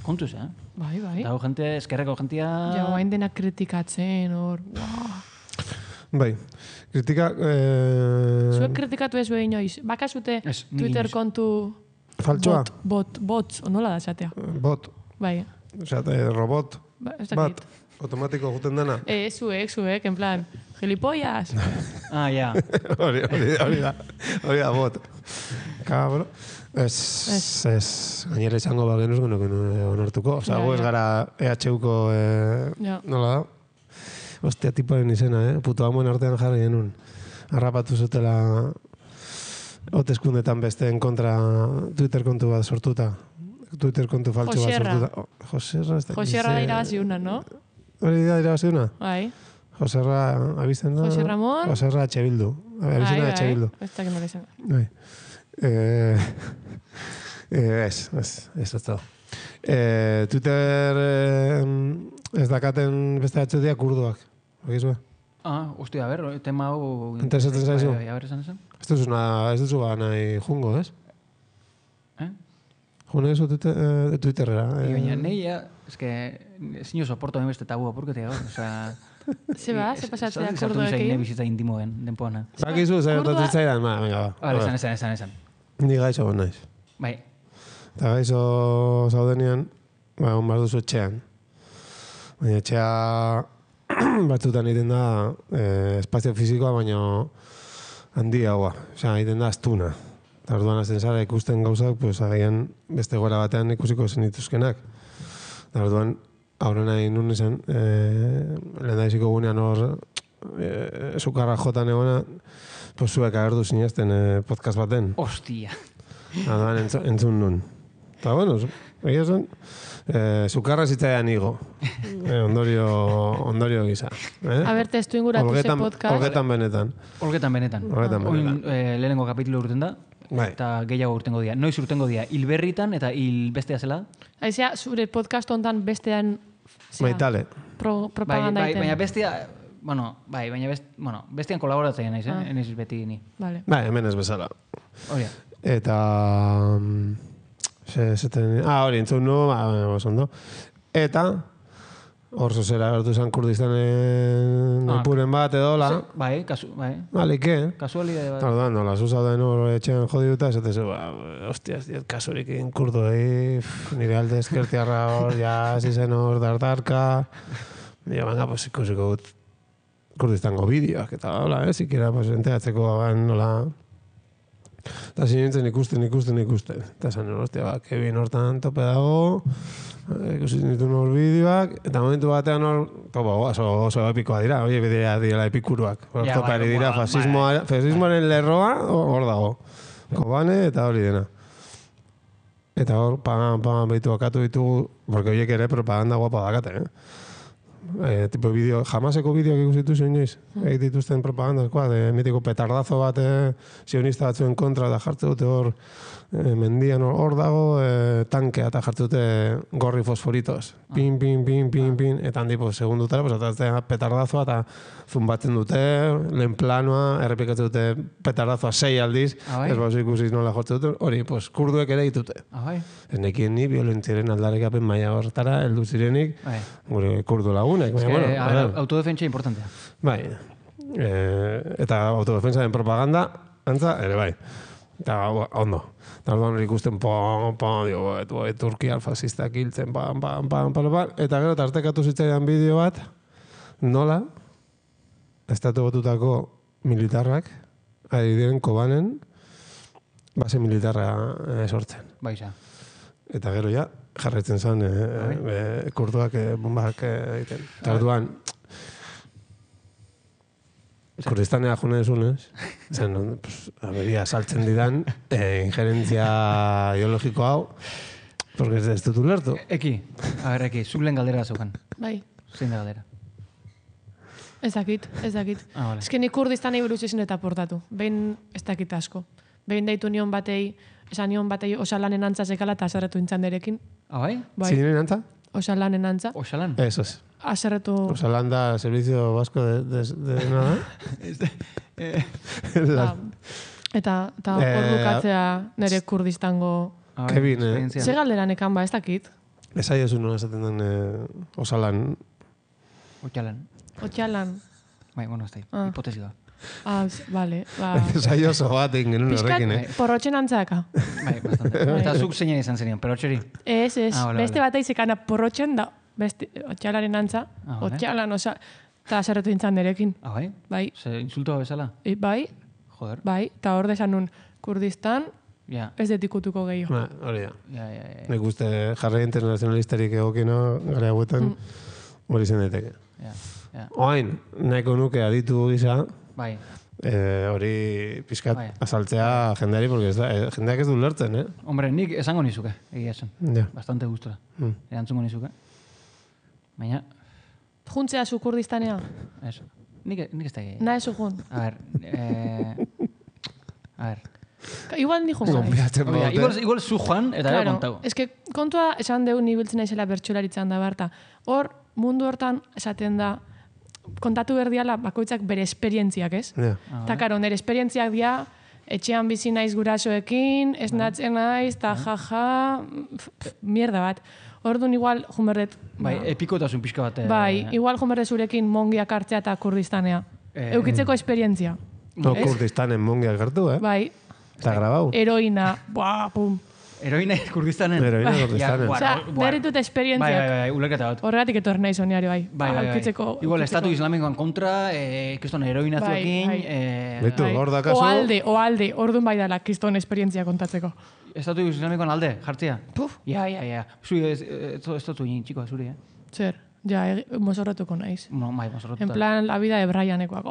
Kontuz, Bai. Dago gente, eskerreko gentia... Ja, bain denak kritikatzen, hor. Bai. Kritika... Zuek kritikatu ez behin inoiz. Bakazute Twitter kontu... Faltsoa? Bots, onola da esatea. Bot. Bai. Osea, robot. Bat. Automatiko juten dena. Zuek, en plan, gilipollas. Ja. Hori da, bot. Kabro. Ez, gainera izango bagenuz onartuko. Osea, gu ez gara EHUko, nola da? Ostia, tipoaren izena, puto amoen artean jarri genuen. Harrapatu zutela hoteskundetan besteen kontra Twitter kontu bat sortuta. Twitter kontu faltxo bat sortuta. Joserra da irabaziuna, no? Hori da irabaziuna? Bai. Joserra abizten da... Jose Ramon? Joserra Bildu. Abizena Bildu. Ez da kenok izan. Bai. Ez da. Twitter ez dakaten beste atxetia kurduak. Bagizue? Hostia, a ver, tema hau... Interesatzen zaizu? A ver, esan? Ez duzu nahi jungo, ez? June eso Twitterera. Baina nahi, eske, zinu soporto beste tabua, porketik gaur, osea... Se pasatzea kurdoekin? Zartu zaine bizitza intimoen, denpoana. Bakizu, zainotatzen zaidan, venga, ba. Vale, esan. Ni gaixo bon naiz. Bai. Eta gaixo zaudenean, on behar duzu etxean. Baina etxea batzutan egiten da espazio fizikoa, baina handiagoa. Osea, egiten da astuna. Eta orduan azten zara ikusten gauzak, pues agian beste gora batean ikusiko zenituzkenak. Eta orduan, aurrena egin nun izan, lehen da iziko gunean hor, sukarra jotan egona, pues zuek agertu zinezten podcast baten. Ostia. Orduan entzun nun. Eta, bueno, egia zen, sukarra zitzaidan igo. Ondorio gisa. A ber, testu inguratu ze podcast. Olgetan benetan. Olgetan benetan. Oin lehenengo kapitulu urten da. Bai. Eta gehiago urtengo dira. Noiz urtengo dira? Hilberritan eta hilbestea zela? Aizea, zure podcast hontan bestean... Baitale. Propaganda bai, iten. baina bestia... bestian kolaboratzen naiz, Enaiz beti ni. Vale. Bai, hemen ez bezala. Hori. Eta... hori, entzun nu, ondo. Eta... Hor zozera gertu zen Kurdistanen ipuren bat edola. Bai. Alike. Kasualidade bat. Orduan, nola, zuzauden hor etxean jodi duta, ez zu, hostias, diet, kasurik egin kurdo, nire alde eskertiarra hor, ja, zizen hor dardarka. Dio, venga, pues ikusiko gut Kurdistango bideoak, eta hola, zikera, pues, enteatzeko, nola... Eta zinintzen ikusten. Eta zan, hostia, Kevin hortan tope dago, ikusi nituen hor bideoak, eta momentu batean hor, oso epikoa dira, oie, bidea direla epikuruak. Topari dira, fasismoaren lerroa, hor dago. Kobane eta hori dena. Eta hor, pagan behitu akatu ditugu, porque horiek ere propaganda guapa dakate, tipo bideo, jamaseko bideoak ikusitu zuen joiz. Egit dituzten propagandakoa, mitiko petardazo bat sionista batzuen kontra, da jartze dute hor mendian hor dago, tankea eta jartze dute gorri fosforitos. Pin, eta handi, segundutara, atatzen petardazoa eta zumbatzen dute, lehen planoa, errepikatzen dute petardazoa 6 aldiz, ez bauz ikusiz nola jortze dute, hori, kurduek ere ditute. Ez nekien ni violentziaren aldarekapen maila hortara, heldu zirenik, gure kurdu lagunek. Autodefentsa importantea. Bai, eta autodefensaren propaganda, antza, ere bai. Eta, ondo. Eta orduan hori ikusten, Turkia fascistak hiltzen, eta gero tartekatu zitzaidan bideo bat, nola, estatu batutako militarrak, ari diren Kobanen, base militarra sortzen. Baixa. Eta gero ja, jarraitzen zen kurduak bombak egiten. Eta orduan, Kurdistanea june desunez, zen, aberia saltzen didan, injerentzia ideologiko hau, porque ez dut ulertu. Eki, zuk lehen galdera zeukan. Bai. Zein da galdera? Ez dakit. Vale. Ez que ni Kurdistanei buruz ezin eta portatu. Behin ez dakit asko. Behin deitu nion batei, esan nion batei osalanen antza zekala eta azarretu intzan derekin. Bai? Zinen antza? Osalanen antza. Osalan? Eso es. Azarretu... Osalan da Servicio Vasco de nada. Eta hor bukatzea nire Kurdistango... Kevin, Ze galderan ekan ez dakit? Ez aiozu nola esaten den Osalan. Otxalan. Bai, bueno, ez da, hipotesi da. Vale. Ez aiozo bat egin genuen horrekin, Porrotxen antzaka. Bai, bastante. Eta zuk zeinen izan zenion, perotxeri? Ez. Beste bat aizekana porrotxen da, otxalaren antza, otxalan, eta azarretu intzan derekin. Bai? Bai. Ze insultoa bezala? Bai. Joder. Bai, eta hor desan nun, Kurdistan, ez detikutuko gehiago. Hori da. Nik uste jarri internazionalistarik egokina gara hauetan hori zen daiteke. Oain, nahiko nuke aditu gisa, bai. Hori pizkat azaltzea jendeari, porque jendeak ez du lertzen, Hombre, nik esango nizuke, egia esan. Bastante gustora. Erantzungo nizuke. Baina... Juntzea zu Kurdistanea? Ez. Nik ez da gehi. Nahi zu jun? A ver. Igual ni jun. Igual zu joan, eta gara kontago. Ez que kontua esan deu nibiltzen naizela bertsolaritzan da barta. Hor, mundu hortan esaten da, kontatu berdiala bakoitzak bere esperientziak, ez? Eta karo, nire esperientziak dia, etxean bizi naiz gurasoekin, ez natzen naiz, eta jaja, mierda bat. Orduan igual junberdet... Bai, epikotasun pixka bat. Bai, igual junberdet zurekin mongiak hartzea eta Kurdistanea. Eukitzeko esperientzia. Kurdistanen mongiak hartu, Bai. Eta grabau. Heroina, pum. Heroina Kurdistanen? Heroina Kurdistanen. Osea, berritut esperientziak. Bai, ulerketa bat. Horregatik etorri nahi zoniari, bai. Bai. Igual, estatu islamikoan kontra, kriston heroina zuekin. Betu, hor da kaso. Oalde, orduan bai dala kriston esperientzia kontatzeko. Estatu islamikoan alde, jartzia? Puf. Ja. Zuri, ez dut egin, txiko, zuri, Zer, mozorrotuko naiz. No, bai, mozorrotuta. En plan, la vida de Brianekoak.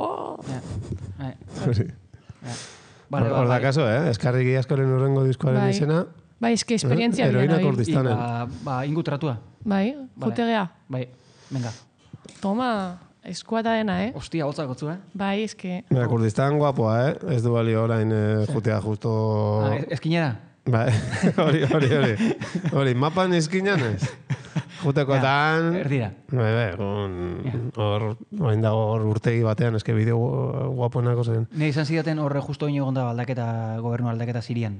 Hor da kaso, eskarriki askoren urrengo diskoaren izena. Bai, eske esperientzia Heroina bila nabil. Kurdistanen. Ingu tratua. Bai, jutegea. Bai, venga. Toma, eskuata dena, Ostia, hotza gotzu, Bai, eske... Kurdistan guapoa, Ez du balio orain jutea justo... Eskinera? Bai, hori, mapan izkinan ez? Jutekoetan... Erdira. Bai, orain dago hor urtegi batean, eske bideo guapoenako zen. Ne izan zidaten horre justo ino egon da aldaketa, gobernu aldaketa Sirian.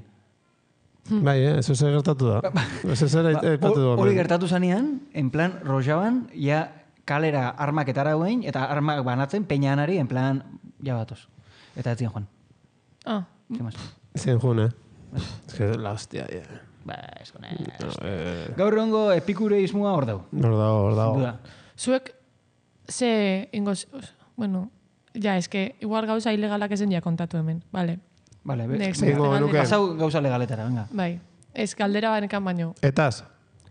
Bai, eso se gertatu da. Eso se aipatu da. Hori gertatu zanean, en plan, rojaban, ja kalera armak etara guen, eta armak banatzen, peñanari, en plan, ja batoz. Eta ez zian joan. Ah, Zien jun, Ez que la hostia, Ba, eskone. Gaur egongo epikureismoa hor dau. Hor dago. zuek, ze ingoz... Bueno, ja, eske, igual gauza ilegalak ezen ja kontatu hemen, vale. Vale, Next. Zingo genuke. pasau gauza legaletara, venga. Bai, ez galdera banekan baino. Etaz?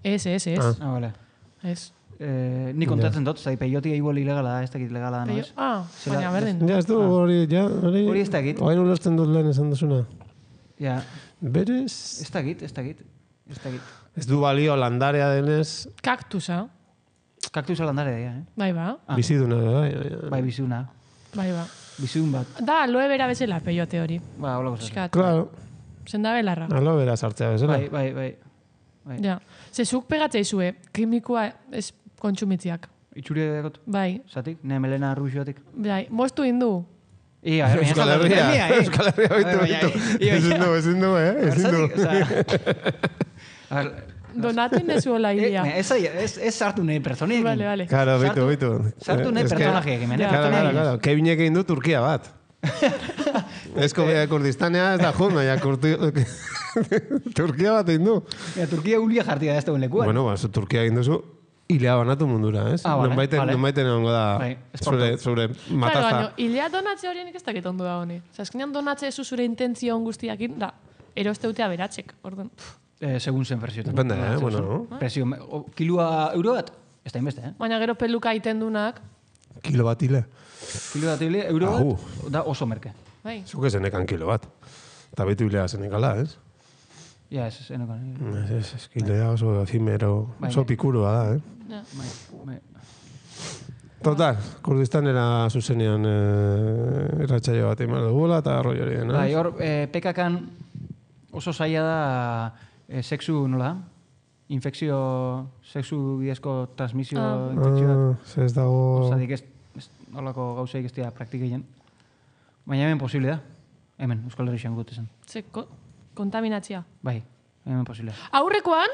Ez. Vale. Ez. Ni kontatzen dut, zai peiotik igual ilegala da, ez dakit ilegala da, no ez? Baina berdin. Ja, ez du hori Hori ez dakit. Hori ulertzen dut lehen esan duzuna. Ja, Berez... ez dakit. Ez du balio landarea denez, Kaktusa. Kaktusa landare da, Bai, ba. biziduna. Bai, bizuna. Bai, ba. Bizun bat. Da, aloe bera bezala peiote hori. Ba, hola gozaz. Piskat. Claro, Zenda belarra. alo bera sartzea bezala. Bai. Ja. Ze zuk pegatzea izue, kimikoa ez kontsumitziak. Itxuri dakot. Bai. Zatik, ne melena arruixoatik. Bai, moztu indu. Ia, Euskal Herria bitu. Ezin du. Donatu nezuela hilea. Ez sartu nahi personiekin. Vale. Claro, bitu. Sartu nahi personajeak, hemen. Claro. Kevinek egin du Turkia bat. Ez Kurdistanea ez da jun, baina Turkia bat egin du. Turkia ulia jartia da ez duen lekuan. Bueno, Turkia egin duzu, hilea banatu mundura, ez? Nonbaiten egongo da zure Claro, matazta. baina, hilea donatze horienik ez dakit ondo da honi. Azkenean donatze zu zure intentzio guztiakin, da, erosteutea beratzek, orduan. Segun zen presioetan. Depende, bueno. Presio, kilua euro bat? Ez da inbeste, Baina gero peluka iten dunak, Kilo bat hile. Kilo bat euro bat, da oso merke. bai. Zuk ezenekan kilo bat. Eta betu hilea zenekala, ez? Ja, ez enokan. Ez kilea oso efimero, oso pikurua da, Ja. Bai. Total, Kurdistanera zuzenean erratxaio bat eman dugula eta arroi hori dena. Bai, hor, pekakan oso zaila da sexu, nola? Infekzio, sexu bidezko transmisio infekzioak. Ez dago... Osadik ez holako gauzeik ez dira praktikeien. Baina hemen posible da. Hemen, Euskal Herrian gut esan. Ze kontaminatzia. Bai, hemen posible. Aurrekoan,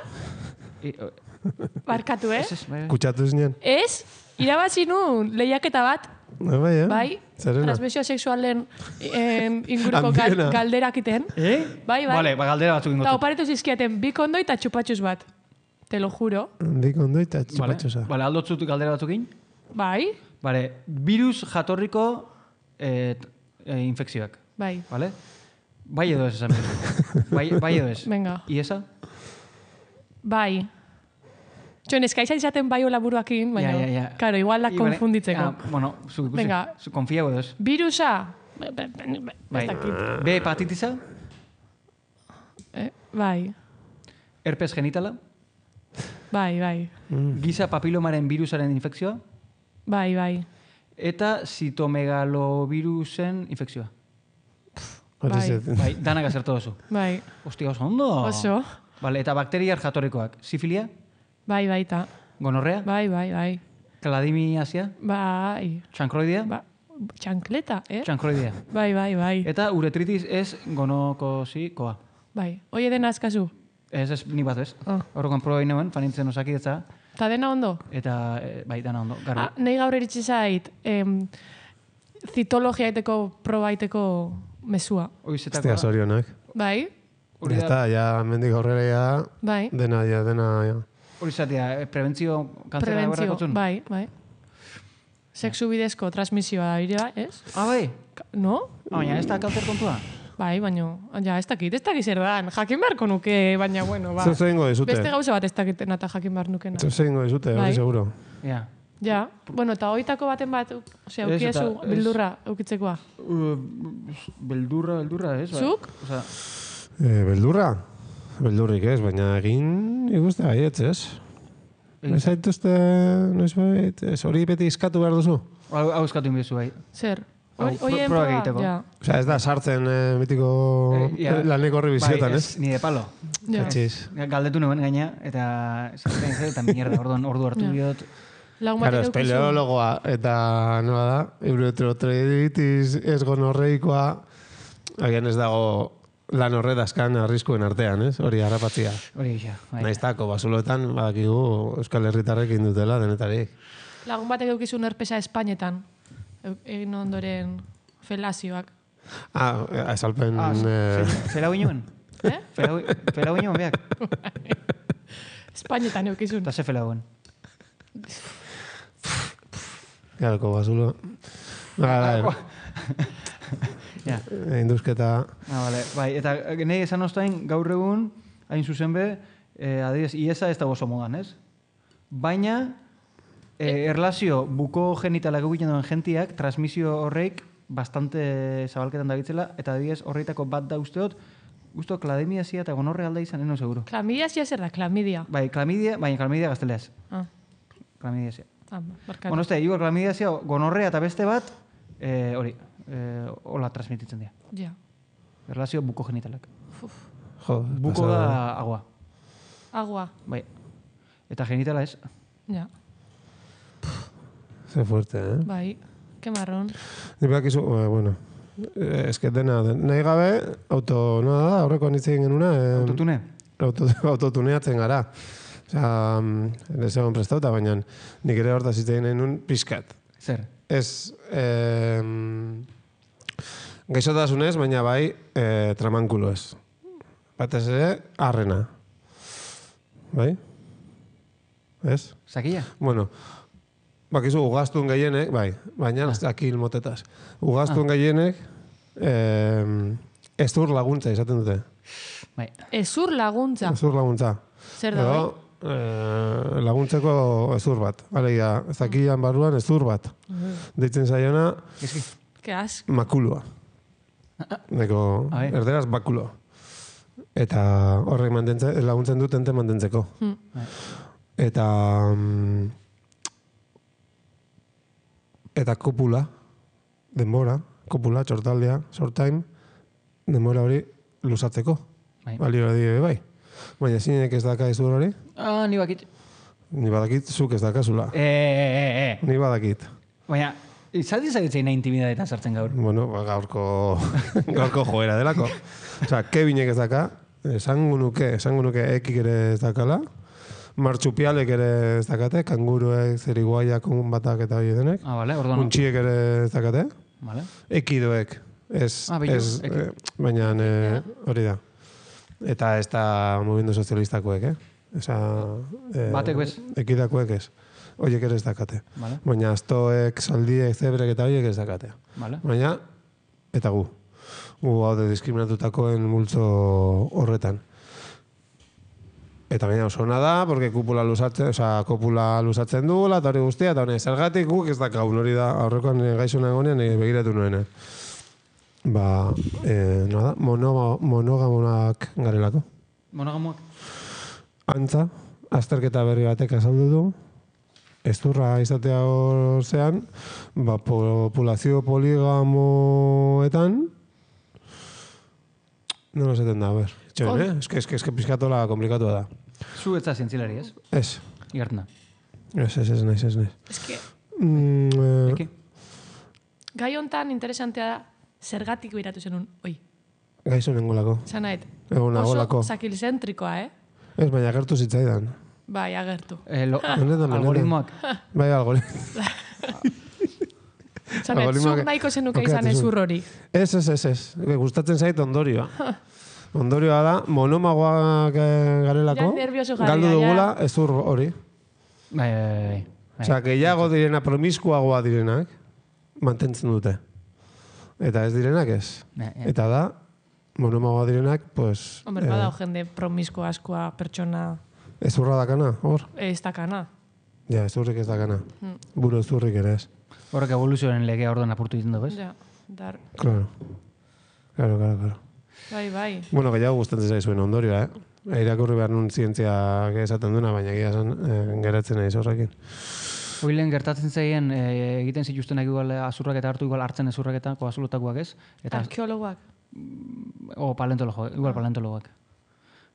barkatu, Bai. Kutsatu zinen? Ez, irabazi nu lehiaketa bat, Bai, bai, Zerena? transmisio sexualen inguruko Handiena. galderakiten. Bai. Vale, galdera batzuk Eta ingotu. oparitu zizkiaten bi kondo eta txupatxuz bat. Te lo juro. Handik ondo eta txupatxosa. Vale, aldotzut galdera batzukin. Bai, Vale, virus jatorriko infekzioak. bai. Vale? Bai edo ez esan. Bai edo ez. Venga. Iesa? Bai. Txon, eskaiza izaten bai hola buruakin, baina, Ja. Karo, igual da konfunditzeko. Bueno, zu ikusi. Venga. Zu konfia edo ez. Virusa. Bai. Ez dakit. B hepatitisa? Bai, Herpes genitala? bai. Giza papilomaren virusaren infekzioa? Bai. Eta zitomegalovirusen infekzioa. Bai, danak azertu duzu. Bai. Ostia, oso ondo. Oso. Vale, eta bakteriar jatorrikoak. Sifilia? Bai, baita. Gonorrea? Bai. Kladimiasia? Bai. Txankroidea? Ba, txankleta, Txankroidea. Bai. Eta uretritis ez gonokosikoa. Bai. Oie dena askazu. Ez, ni bat ez. Ah. Horrekoan proba inoen, fanintzen osakidetza. Ta dena ondo? Eta, bai, dana ondo. Garbi. Nahi gaur eritzi zait, zitologia aiteko, proba aiteko mesua. Estea zorionak. Bai? Hori Ya da, está, ya mendik aurrera ya... Bai. Dena. hori zatea, prebentzio kantzera horrekotzun? Bai. Sexu bidezko transmisioa da, ire, ez? Bai? No? Baina, ez da kancer kontua? Bai, baina, ja, ez dakit zer dan. Jakin beharko nuke, baina, bueno, ba. Zer ingo dizute? Beste gauza bat ez dakitena eta jakin behar nukena. Zer ingo dizute, Bai. hori seguro. Ja. Ja, bueno, eta hoitako baten bat, osea, Ez, ukiezu eta ez- bildurra eukitzekoa. Beldurra, ez? Zuk? Osea, Beldurra? Beldurrik ez, baina egin ikuste baietz, ez? Ez zaituzte, noiz bait, ez hori beti iskatu behar duzu? Hau eskatu inbizu bai. Zer? Proba Proba egiteko. Ja. Osea, ez da sartzen mitiko laneko horri biziotan, Bai, ez? ni de palo. Ja. Atxiz. Galdetu nuen gaina, eta sartzen zen, eta mierda, ordu hartu diot. Lagun Claro, batek eukizu. espeleologoa, eta nola da, uretrotritis ez gonorreikoa, agian ez dago lan horredazkan arriskuen artean, ez? Hori harrapatzia. Hori gisa, bai. Naiztako, basuloetan, badakigu Euskal Herritarrek indutela denetarik. Lagun batek eukizu nerpesa Espainetan. Egin ondoren felazioak. Esalpen... Fela guinuen? Fela guinuen, beak? Espainetan eukizun. Eta ze fela guen? Garoko basulo. Ja. Induzketa... Vale. Bai, eta nahi esan ostain, gaur egun, hain zuzen be, adibidez, iesa ez da oso modan, ez? Baina, erlazio buko genitalak egiten duen jentiak, transmisio horreik bastante zabalketan dabitzela, eta adibidez horreitako bat da usteot, guztu klamidazia eta gonorrea alda izan, eno seguro. Klamidazia zer da, klamidia. Bai, klamidia gazteleaz. Ah, Klamidazia. barkatu. Bueno, igual klamidazia, gonorrea eta beste bat, hori, hola transmititzen dira. Ja. Erlazio buko genitalak. Jo, Buko da agua. Agua. Bai. Eta genitala ez. Ja. Ze fuerte, eh? Bai. Ke marron. Ni bakizu, bueno, eske dena, nahi gabe, nola da, aurreko anitzen genuna, Autotune? autotuneatzen gara. Osea, ez egon prestauta, baina nik ere hortaz zitzen genuen pixkat. Zer? Ez, gaixotasunez, baina bai, tramankulo ez. Batez ere, arrena. Bai? Ez? Sakia? Bueno, bakizu, ugaztun gehienek, bai, baina akil motetaz. Ugaztun gehienek, ezur laguntza izaten dute. Bai. Ezur laguntza. Ezur laguntza. Zer da, bai? Laguntzeko ezur bat. Alegia, zakian barruan ezur bat. Deitzen zaiona, Eski. Ke ask. makulua. Neko, Bai. erderaz bakulo. Eta horrek laguntzen dut ente mantentzeko. Bai. Eta kopula, denbora, kopula, txortaldea, short time, denbora hori luzatzeko. Bai. Balio di bai. Baina zinek ez daka izur hori, Ni bakit. ni badakit zuk ez dakazula. Ni badakit. Baina, izaldi zaitzeina intimidadetan sartzen gaur. Bueno, gaurko joera delako. Osea, Kevinek ez daka, esango nuke ekik ere ez dakala, martxupialek ere ez dakate, kanguruek, zeriguaiak, batak eta hori denek. Vale, orduan. Untxiek ere ez dakate. Vale. Ekidoek, ez, bello, baina hori da. Eta ez da movimendu sozialistakoek, Esa, Batek bez? Ekidakoek ez. Horiek ere ez dakate. Vale. Baina astoek, zaldiek, zebrek eta horiek ez dakate. Vale. Baina, eta gu. Gu haude diskriminatutakoen multzo horretan. Eta baina oso ona da, porque kopula luzatzen duela, eta hori guztia, eta hori zergatik guk ez dakagun, hori da, aurrekoan gaixona egonean begiratu nuena. Nada, monogamonak garelako. Monogamoak? Antza, azterketa berri batek azaldu du, ezurra izatea orzean, populazio poligamoetan, no esaten da, a ver. Txoen, eske pizkatola komplikatua da. Zu etza zientzilari, ez? Ez. Igartzen da. Ez naiz. Eske, Eki? gai hontan interesantea da, zergatik biratu zenun, oi. Gaizu nengolako. Zanait, Egon nagolako. oso zakilzentrikoa, Ez, baina agertu zitzaidan. Bai, agertu. Benetan. Algoritmoak. Bai, algoritmoak. Zanait, Algoritmoak zuk nahiko zenuke izan okeratu zuen. ezur hori. Ez. Gustatzen zait ondorioa. Ondorioa da, monomagoak garelako, Ja, nervioso jarri, galdu ja. dugula ezur hori. Bai. Osea, gehiago direna, promiskuagoa direnak, mantentzen dute. Eta ez direnak ez. Eta da, monomagoa direnak, pues... Hombre, badao jende promisko askoa pertsona ezurra dakana, hor? ez dakana. Ja, ezurrik ez dakana. Buru ezurrik ere ez. Horrek evoluzioaren legea orduan apurtu egiten du, bez? Ja, dar. Claro. Bai. Bueno, gehiago gustatzen zaizuen ondorioa, irakurri behar nun zientziak esaten duna, baina egia esan geratzen naiz horrekin. Oilen gertatzen zaien egiten zituztenak igual azurrak eta hartu igual hartzen ezurrak eta koazulutakoak ez. Eta arkeologoak. Paleontologoak.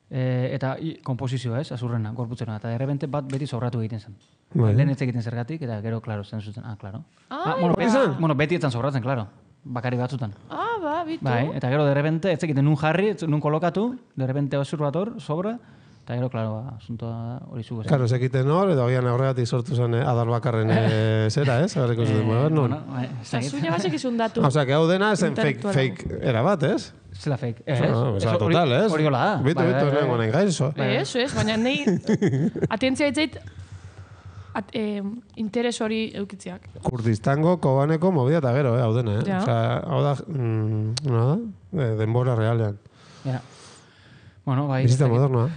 Eta komposizioa ez, azurrena, gorputzena. Eta derrebente bat beti sobratu egiten zen. Lehen ez egiten zergatik, eta gero, klaro, zen zuten. Klaro. Beti etzan sobratzen, klaro. Bakari batzutan. Bitu. Bai, eta gero derrebente ez egiten nun jarri, nun kolokatu, derrebente azur bat hor, sobra, eta gero, klaro, asuntoa hori zugu. Claro, ez egiten hor, edo agian horregatik sortu zen adar bakarren zera, ez? Agarriko zuten modernon. Eta zuña basek izun datu. Osea, que hau dena zen fake era bat, ez? Zela fake. Osa, total, ez? Hori gola da. Bitu, nengo nahi gainzo. Ez, baina nahi atentzia itzait interes hori eukitziak. Kurdistango, Kobaneko, movida eta gero, hau dena, Ja. Osea, hau da, denbora realean. Ja. Bueno, bai. Bizita modernoa.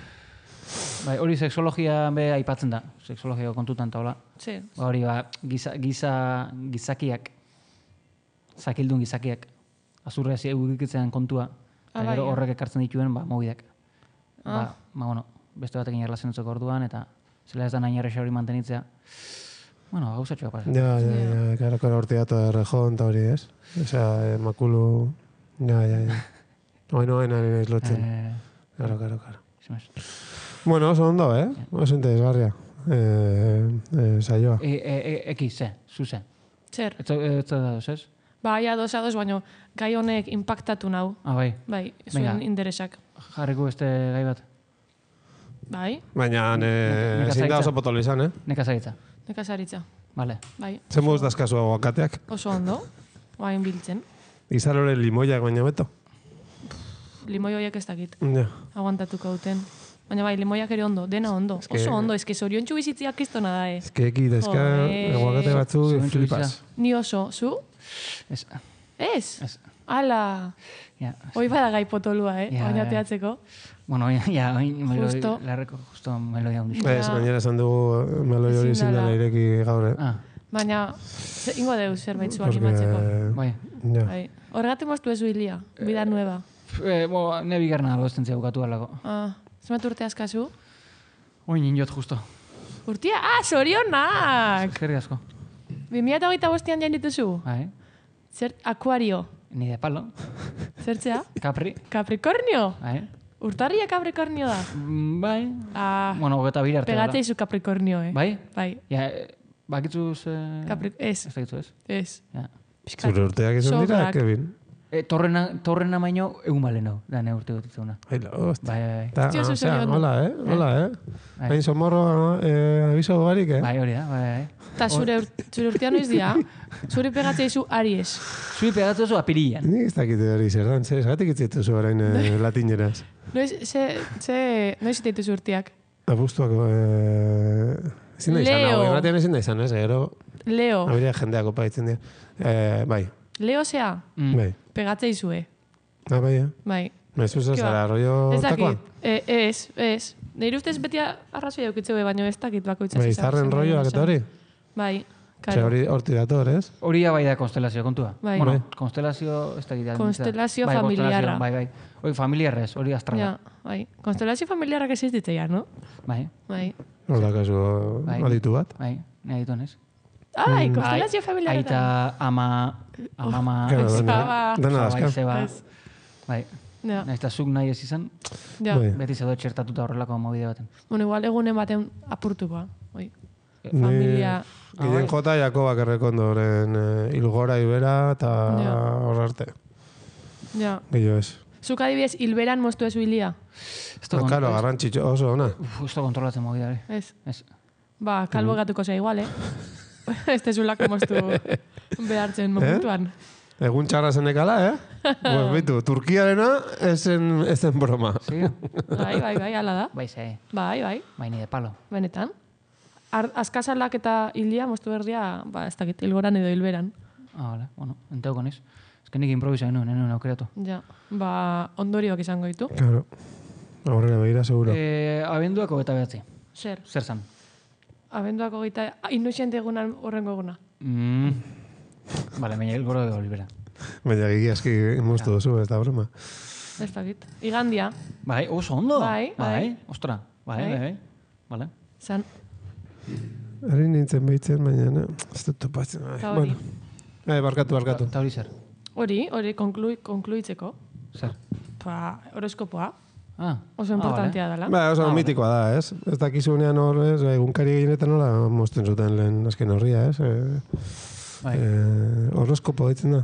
Bai, hori sexologia be aipatzen da. Sexologia kontutan eta hola. Sí. Hori gizakiak, zakildun gizakiak, azurrea egikitzean kontua, eta gero horrek ekartzen dituen, mobidak. Bueno, beste batekin erlazionatzeko orduan, eta zela ez da nahi erresa hori mantenitzea. Bueno, gauzatxoa pasa. Ja, karo horti dato de rejon eta hori, ez? Osea, makulu... Ja. Oain ez lotzen. Karo. Bueno, oso ondo, oso interesgarria. Saioa. Zuze. Zer? Ez da doz, ez? Bai, ados, baina gai honek impactatu nau. Bai. Bai, zuen interesak. Jarriko beste gai bat. Bai. Baina, ezin da oso potolo izan, Nekazaritza. Nekazaritza. Vale. Bai. Zer moduz dazkazu aguakateak? Oso ondo. Bain biltzen. Izarore limoiak baina beto? Limoi horiek ez dakit. Ja. Aguantatuko duten. Baina bai, limoiak ere ondo, dena ondo. Oso ondo, eske zoriontsu bizitziak kristona da, Eki, dezka, aguakate batzu flipas. Ni oso, zu? Ez. Ez? Ala. Hoi bada gai potolua, baina teatzeko. Bueno, ja, Justo. Larreko justo meloia hundi. Ez, gainera esan dugu meloi hori zindela ireki gaur, Baina, ingo deu zerbait zu animatzeko. Bai. Horregatik moztu ezu hilia, vida nueva. Ne bigarna algozten bukatu alako. Zemat urte askazu? Oin injot justo. Urtia? Zorionak! Eskerri asko. 2025an jain dituzu? Bai. Zer, akuario? Ni de palo. Zertzea? Capri. Capricornio? Bai. Urtarria Capricornio da? Bai. Bueno, gota bir arte. Pegateizu Capricornio, Bai? Bai. Ja, bakitzuz... Ez. Ez dakitzu, ez? Ez. Ja. Zure urteak izan dira, Kevin? Torrena maino egun balenau, da ne urte gotitzuna. Bai. Hola, Hain somorro abiso barik, Bai, hori da, bai. Eta zure urtean noiz dira? Zure pegatzeizu Aries. Zure pegatzeizu apirian. Nik ez dakite hori zer dan, zergatik itzituzu orain latineraz. Noiz itituzu urteak? Abuztuako... Ezin da izan, hau egratean ezin da izan, ez? Leo. Habiria jendeak opa ditzen dira. Bai. Leo zea? Bai. Pegatzeizue. Bai, Bai. Mezuz ez zara, rollo takoa? Ez. Nire ustez beti arrazoi eukitzeu, baina ez dakit bakoitzaz. Bai, izarren rolloak eta hori? Bai, karo. Hori horti dator, ez? Hori bai da konstelazio kontua. Bai. Bueno, konstelazio ez dakit. Konstelazio familiarra. Bai. Hori familiarrez, hori astrala. Ja, bai. Konstelazio familiarrak existitzea, no? Bai. Hor da kasu aditu bat? Bai, nahi ditu nez. Bai, konstelazio familiarra. Aita, amama, dena dazka. Zeba. Bai. Nahiz eta zuk nahi ez izan, beti zedo txertatuta horrelako mobide baten. Bueno, igual egunen baten apurtuko, familia... Giden jota Jakobak errekondoren ilgora ibera eta horrarte. Ja. Gillo ez. Zuk adibidez, hilberan moztu ezu hilia? Karo, garrantzitxo oso, ona. Ez da kontrolatzen mobide, Ez. Ba, kalbo gatuko zea igual, Ez tezulako moztu behartzen momentuan. Egun txarra zenekala, Pues bitu, Turkiarena ezen broma. Sí? Bai, ala da. Bai, ze. Bai. Bai, ni de palo. Benetan. Azkazalak eta hilia moztu berdia, ez dakit, hilgoran edo hilberan. Vale, bueno, enteuko niz. Ez que nik improvisa genuen aukeratu. Ja, ondorioak izango ditu. Claro. Aurrera behira, seguro. Abenduako eta behatzi. Zer zan? Abenduako eta inoxente egunan horrengo eguna. Bale, baina hilgoro edo libera. Baina gigi aski moztu duzu, ez da broma. Ez dakit. Igandia. Bai, oso ondo. Bai. Ostra, bai. Vale. Zan, Ari nintzen behitzen, baina ez dut topatzen. Ta hori. Barkatu. Ta hori zer? hori konkluitzeko. Zer? Horoskopoa. Ah. Oso importantea dela. Oso mitikoa da, ez? Ez dakizunean hor, ez? Egunkari gehienetan nola mozten zuten lehen azken horria, ez? Bai. Horoskopo ditzen da.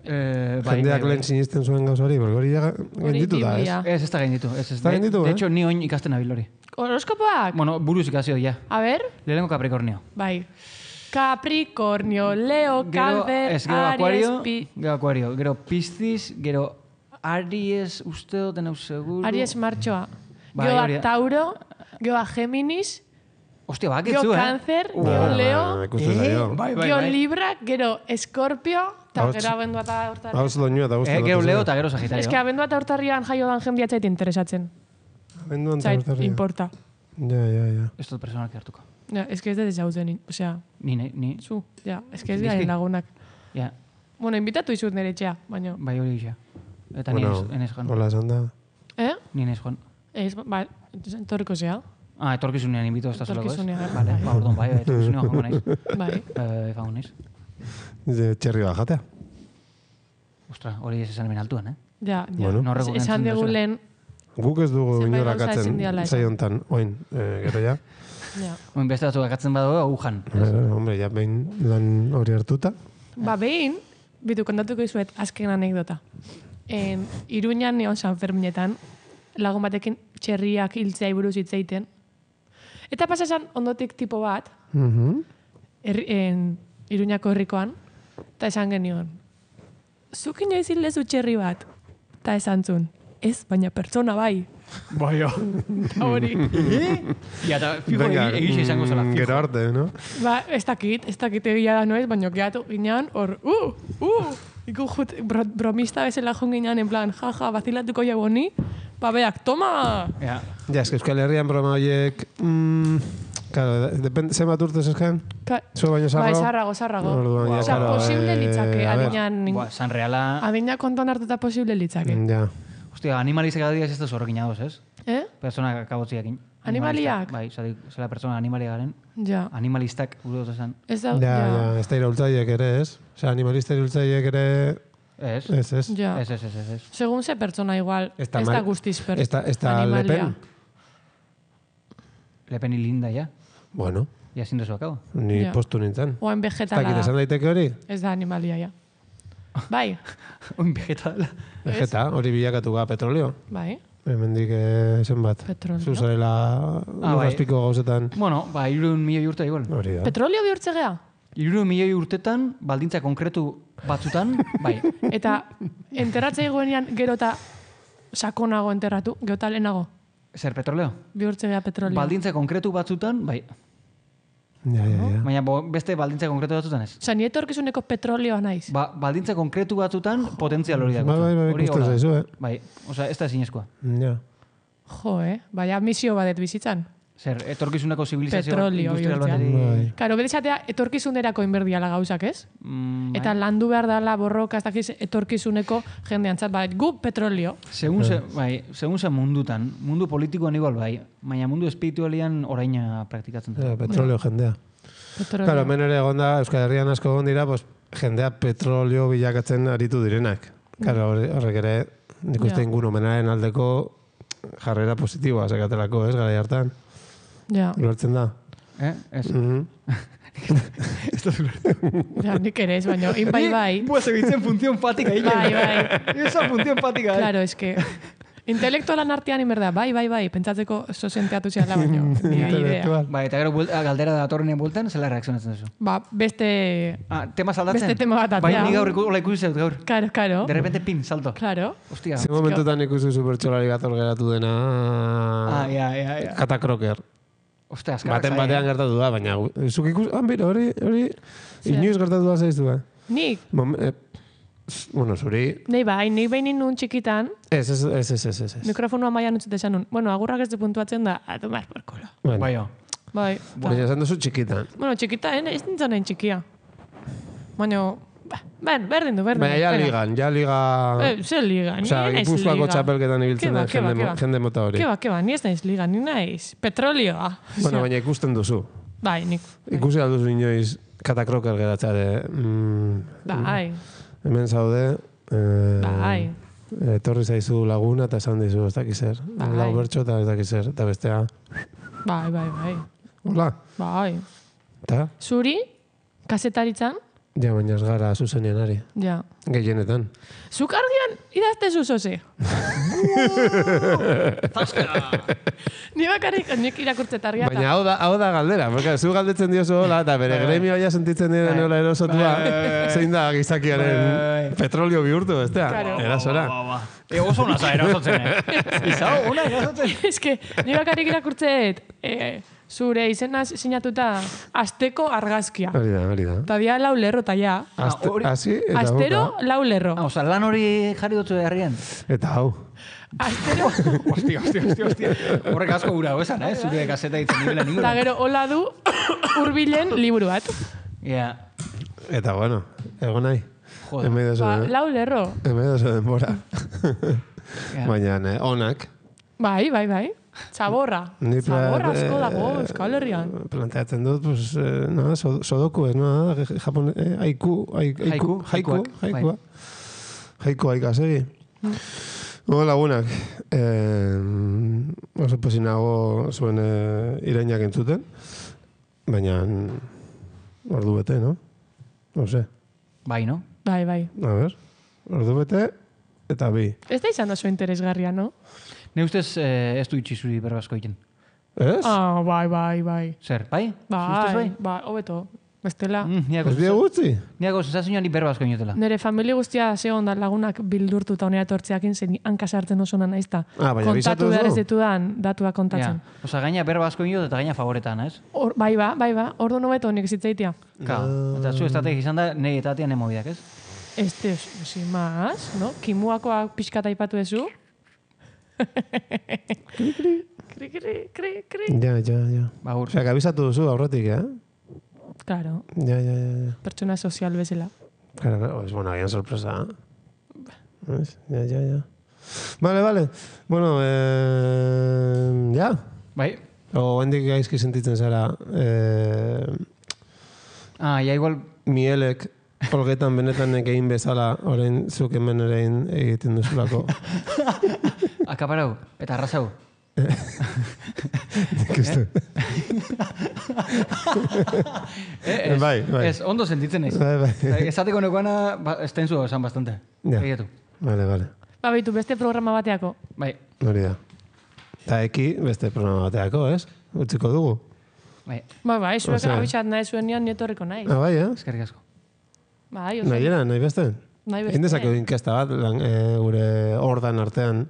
Jendeak lehen sinisten zuen gauz hori, hori gainditu da, ez? Biblia. Ez da gainditu. Ez da gainditu, De hecho, ni oin ikasten nabil hori. Horoskopoak? Bueno, buruz ikasio, ja. A ber? Lehenengo Capricornio. Bai. Capricornio, Leo, Calver, Aries, Gero Aquario, gero Piscis, gero Aries, uste dut denau seguro. Aries martxoa. Bai, Gero hori da. Tauro, gero Géminis, Ostia, bakitzu, gero Cáncer, gero Leo, Ikusten zaio. Bai, gero Libra, gero Escorpio, eta gero abendua eta urtarrian. Hauz doinua eta guztu. Gero Leo eta gero Sagitario. Ez que abendua eta urtarrian jaio dan jendea txait interesatzen. Abenduan eta Txait, urtarria. importa. Ja. Ez dut personalki hartuko. Ja, ez que ez dut ezagutzen, osea, Ni. zu, ja, ez que ez Bizki. garen lagunak. Ja, Bueno, invitatu izut nire etxea, baina. bai hori gisa. Eta Bueno, ni ez joan. hola esan da. Eh? Ni ez joan. Ez, ba, entorriko zea. Etorkizunean invito ez da zelako, ez? Etorkizunean, Vale, bai. ba, orduan, bai, etorkizunean joango naiz. Bai. Joango naiz. Txerri bat jatea. Ostra, hori ez esan hemen altuan, eh? Ja. Bueno. No rekogen Esan entzun dugu duzula. lehen, Guk ez dugu Zenbait inorak gauza ezin atzen diala esan. zaiontan, oin, gero ja. ja. Oin beste batzuk akatzen badago, agujan. Hombre, ja behin lan hori hartuta. Ba, behin, bitu kontatuko izuet azken anekdota. Iruñan neon San Ferminetan, lagun batekin txerriak hiltzea buruz hitz egiten. Eta pasasan ondotik tipo bat, Iruñako herrikoan, eta esan genion, zuk inoiz hildezu txerri bat? Eta esan zuen, ez, baina pertsona bai. Bai, Eta hori. Ja, eta fijo egixe izango zela, fijo. Gero arte, no? Ba, ez dakit egia da noiz, baina gehiatu ginean, hor, iku jut, bromista bezala joan ginean, en plan, jaja, bazilatuko jau honi, ba, beak, toma! Ja. Ja, eske Euskal Herrian broma horiek... Claro, depende, zenbat urtez esken? Zue baino sarrago? Bai, sarrago. Orduan, ja, Osea, claro, posible litzake, a ver. adinean, San Reala... adina kontuan hartuta posible litzake. Ja. Hostia, animalizak adibidez ez da zorrekin adoz, ez? Persona kabotziakin. Animaliak? Bai, zela persona animalia garen. Ja. Animalistak, gure dut esan. Ez da, Ja, ez da iraultzaiek ere, ez? Osea, animalista iraultzaiek ere... Ez? Ez. Ja. Ez. Segun ze pertsona igual, ez da mal- guztiz Ez da animalia. Lepen? Lepen hilinda, ja. Bueno, Ja, zindu akabo. ni Ja. postu nintzen. Oen Ez vegetala dakit esan da. daiteke hori? Ez da animalia, ja. Bai, Oin vegetala. Vegeta, hori bilakatu ga petrolio. bai. Hemendik zenbat. Petrolio. Zuzarela bai. lurrazpiko gauzetan. Bueno, 300.000 urte igual. Hori da. Petrolio bihurtze gea? 300.000 urtetan, baldintza konkretu batzutan, bai. Eta enterratzea egoenean gero eta sakonago enterratu, gero eta lehenago. Zer petroleo? Bihurtze gea petrolio. Baldintza konkretu batzutan, bai. Ja. Baina beste baldintza konkretu batzutan ez. Osa, ni etorkizuneko petrolioa naiz. Baldintza konkretu batzutan potentzial hori dago. Bai, ikusten zaizu, Bai, osea, ez da ezinezkoa. Ja. Jo, baina misio badet bizitzan. Zer, etorkizuneko zibilizazio Petrolio industrial bihurtzea. bateri... Karo, bere esatea, etorkizunerako inberdiala gauzak, ez? Eta landu behar dala borroka, ez dakiz, etorkizuneko jendeantzat, bai, gu petrolio. Segun ze mundutan, mundu politikoan igual bai, baina mundu espiritualian oraina praktikatzen da. Petrolio jendea. Petrolio. Claro, hemen ere egonda, Euskal Herrian asko egon dira, pues, jendea petrolio bilakatzen aritu direnak. Claro, horrek ere, nik uste ingurumenaren aldeko jarrera positiboa sekatelako, ez, gara hartan. Ja. Ulertzen da. Ez? Ez da ja, nik ere ez, baina, bai. Pues egitzen función patika Bai, bai. Esa función patika, Claro, es que... Intelektualan artean inberda, bai, pentsatzeko sosenteatu ziala, baina, nire idea. Bai, eta gero galdera datorrenean bueltan, zela reakzionatzen duzu? Ba, beste... Tema saldatzen? Beste tema bat Bai, atea. ni gaur hola ikusi zaut gaur. Karo. De repente, pin, salto. Claro. Hostia. Ze momentutan ikusi supertxolari bat hor geratu dena... Ja. Katakroker. Ostia, azkarrak Batean gertatu da, baina... Zuk ikusi... Bera, hori... Inoiz gertatu da zaiztu, Nik? Bueno, zuri... Nei behin nun txikitan, Ez. mikrofonua maian utzit esan nun. Bueno, agurrak ez du puntuatzen da, a tomar por culo. Bai, Bai. Baina esan duzu txikitan. Bueno, txikitan, ez nintzen nahi txikia. Baina, Berdin du. Baina ja liga... Zer liga, ni Osea, naiz Gipuzkoako liga. txapelketan ibiltzen den jende mota hori. Keba, ni ez naiz liga, ni naiz petrolioa. Bueno, baina ikusten duzu. Bai, nik. Ikusi alduzu inoiz katakroker geratzeare. Bai. Hemen zaude... Bai. Etorri zaizu laguna eta esan dizu, ez dakiz zer. Lau bertxo eta ez dakiz zer. Eta bestea... Bai. Hola. Bai. Eta? Zuri, kasetaritzan? Ja, baina ez gara zuzenean ari. Ja. Gehienetan. Zuk argian idazte zuzoze. Ni bakarrik, nik irakurtzet argia. Baina hau da galdera, porque zu galdetzen diozu hola, eta bere gremio ja sentitzen diren hola erosotua, zein da gizakiaren petrolio bihurtu, bestea, erasora. Oso una za erosotzen, Izau, una erosotzen. Ez que, ni bakarrik irakurtzet, zure izena sinatuta asteko argazkia. Hori da. Ta dia 4 lerro ta ja. Astero 4 lerro. Osa, lan hori jarri dutzu herrian. Eta hau. Astero. Hostia. Horrek asko gura, esan, zure kaseta ditzen nibela ninguna. Ta gero, hola du hurbilen liburu bat. Ja. Eta bueno, egon nahi. Joder. Lau lerro. Emedoso denbora. Baina, onak. Bai. Zaborra. Zaborra asko dago, Euskal Herrian. Planteatzen dut, pues, sodoku, no? Japon, haikua ikasegi. Lagunak, oso posinago zuen irainak entzuten, baina ordu bete, no? No sé. Bai, no? Bai. A ver, ordu bete eta bi. Ez da izan oso interesgarria, no? Ne ustez ez du itxizuri berbazko egiten. Ez? Bai. Zer, bai? Zustez bai? Bai, hobeto. Bestela. Ez die gutzi? Niago sensazioa ni berbazko inotela. Nere familia guztia zegoen da lagunak bildurtuta honera etortzeakin zen hankasartzen oso nana izta. Baina kontatu behar ez ditudan datua kontatzen. Osa, gaina berbazko inot eta gaina favoretan, ez? Bai. Ordu nobeto honik zitzaitia. Eta zu estrategi izan da, nahi etatean emobidak, ez? Este, sin más, no? Kimuakoa pixkata ipatu ezu. Kri. Ja. Baur. Osea, abizatu duzu aurretik, Claro. Ja. Pertsona sozial bezala. Claro, es bueno, agian sorpresa. ¿Ves? Ja. Vale. Bueno, ja. Bai. O hendik gaizki sentitzen zara. Ja, igual... Mielek polgetan benetan egin bezala, orain zuk hemen ere egiten duzulako. Akaparau, eta arrasau. Bai. Ez, ondo sentitzen naiz. Bai. Esateko nekoana, estenzu esan bastante. Ja. Vale. Bitu, beste programa bateako. Bai. Hori da. Eta beste programa bateako, ez? Utziko dugu. Bai. Bai, zuek abitxat nahi zuen nian nietorriko nahi. Bai, Eskerrik asko. Bai, oso. Nahi beste? Nahi beste. Egin dezakegu inkesta bat, gure ordan artean.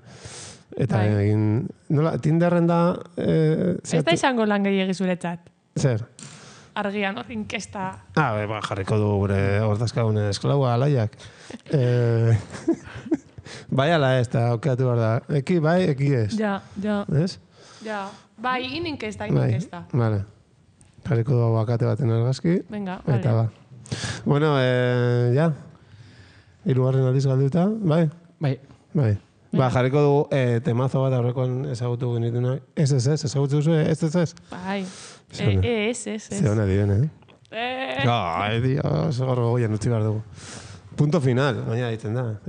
Eta egin... Nola, Tinderren da... Ez da izango lan gehiagi zuretzat. Zer? Argian hor inkesta... Jarriko du gure ordazkagun esklaua alaiak. Bai ala ez, eta aukeratu behar da. Eki bai, eki ez. Ja. Ez? Ja. Bai, inkesta. Vale. Jarriko du abakate baten argazki. Venga, eta ba. Bueno, ja. 3. aldiz galduta, bai? Bai. Jarriko dugu temazo bat aurrekoan ezagutu genitunak. Ezagutu duzu, ez. Bai. Ez. Zeona diren, Ai, Dios, gorro goian utzi behar dugu. Punto final, baina ditzen da.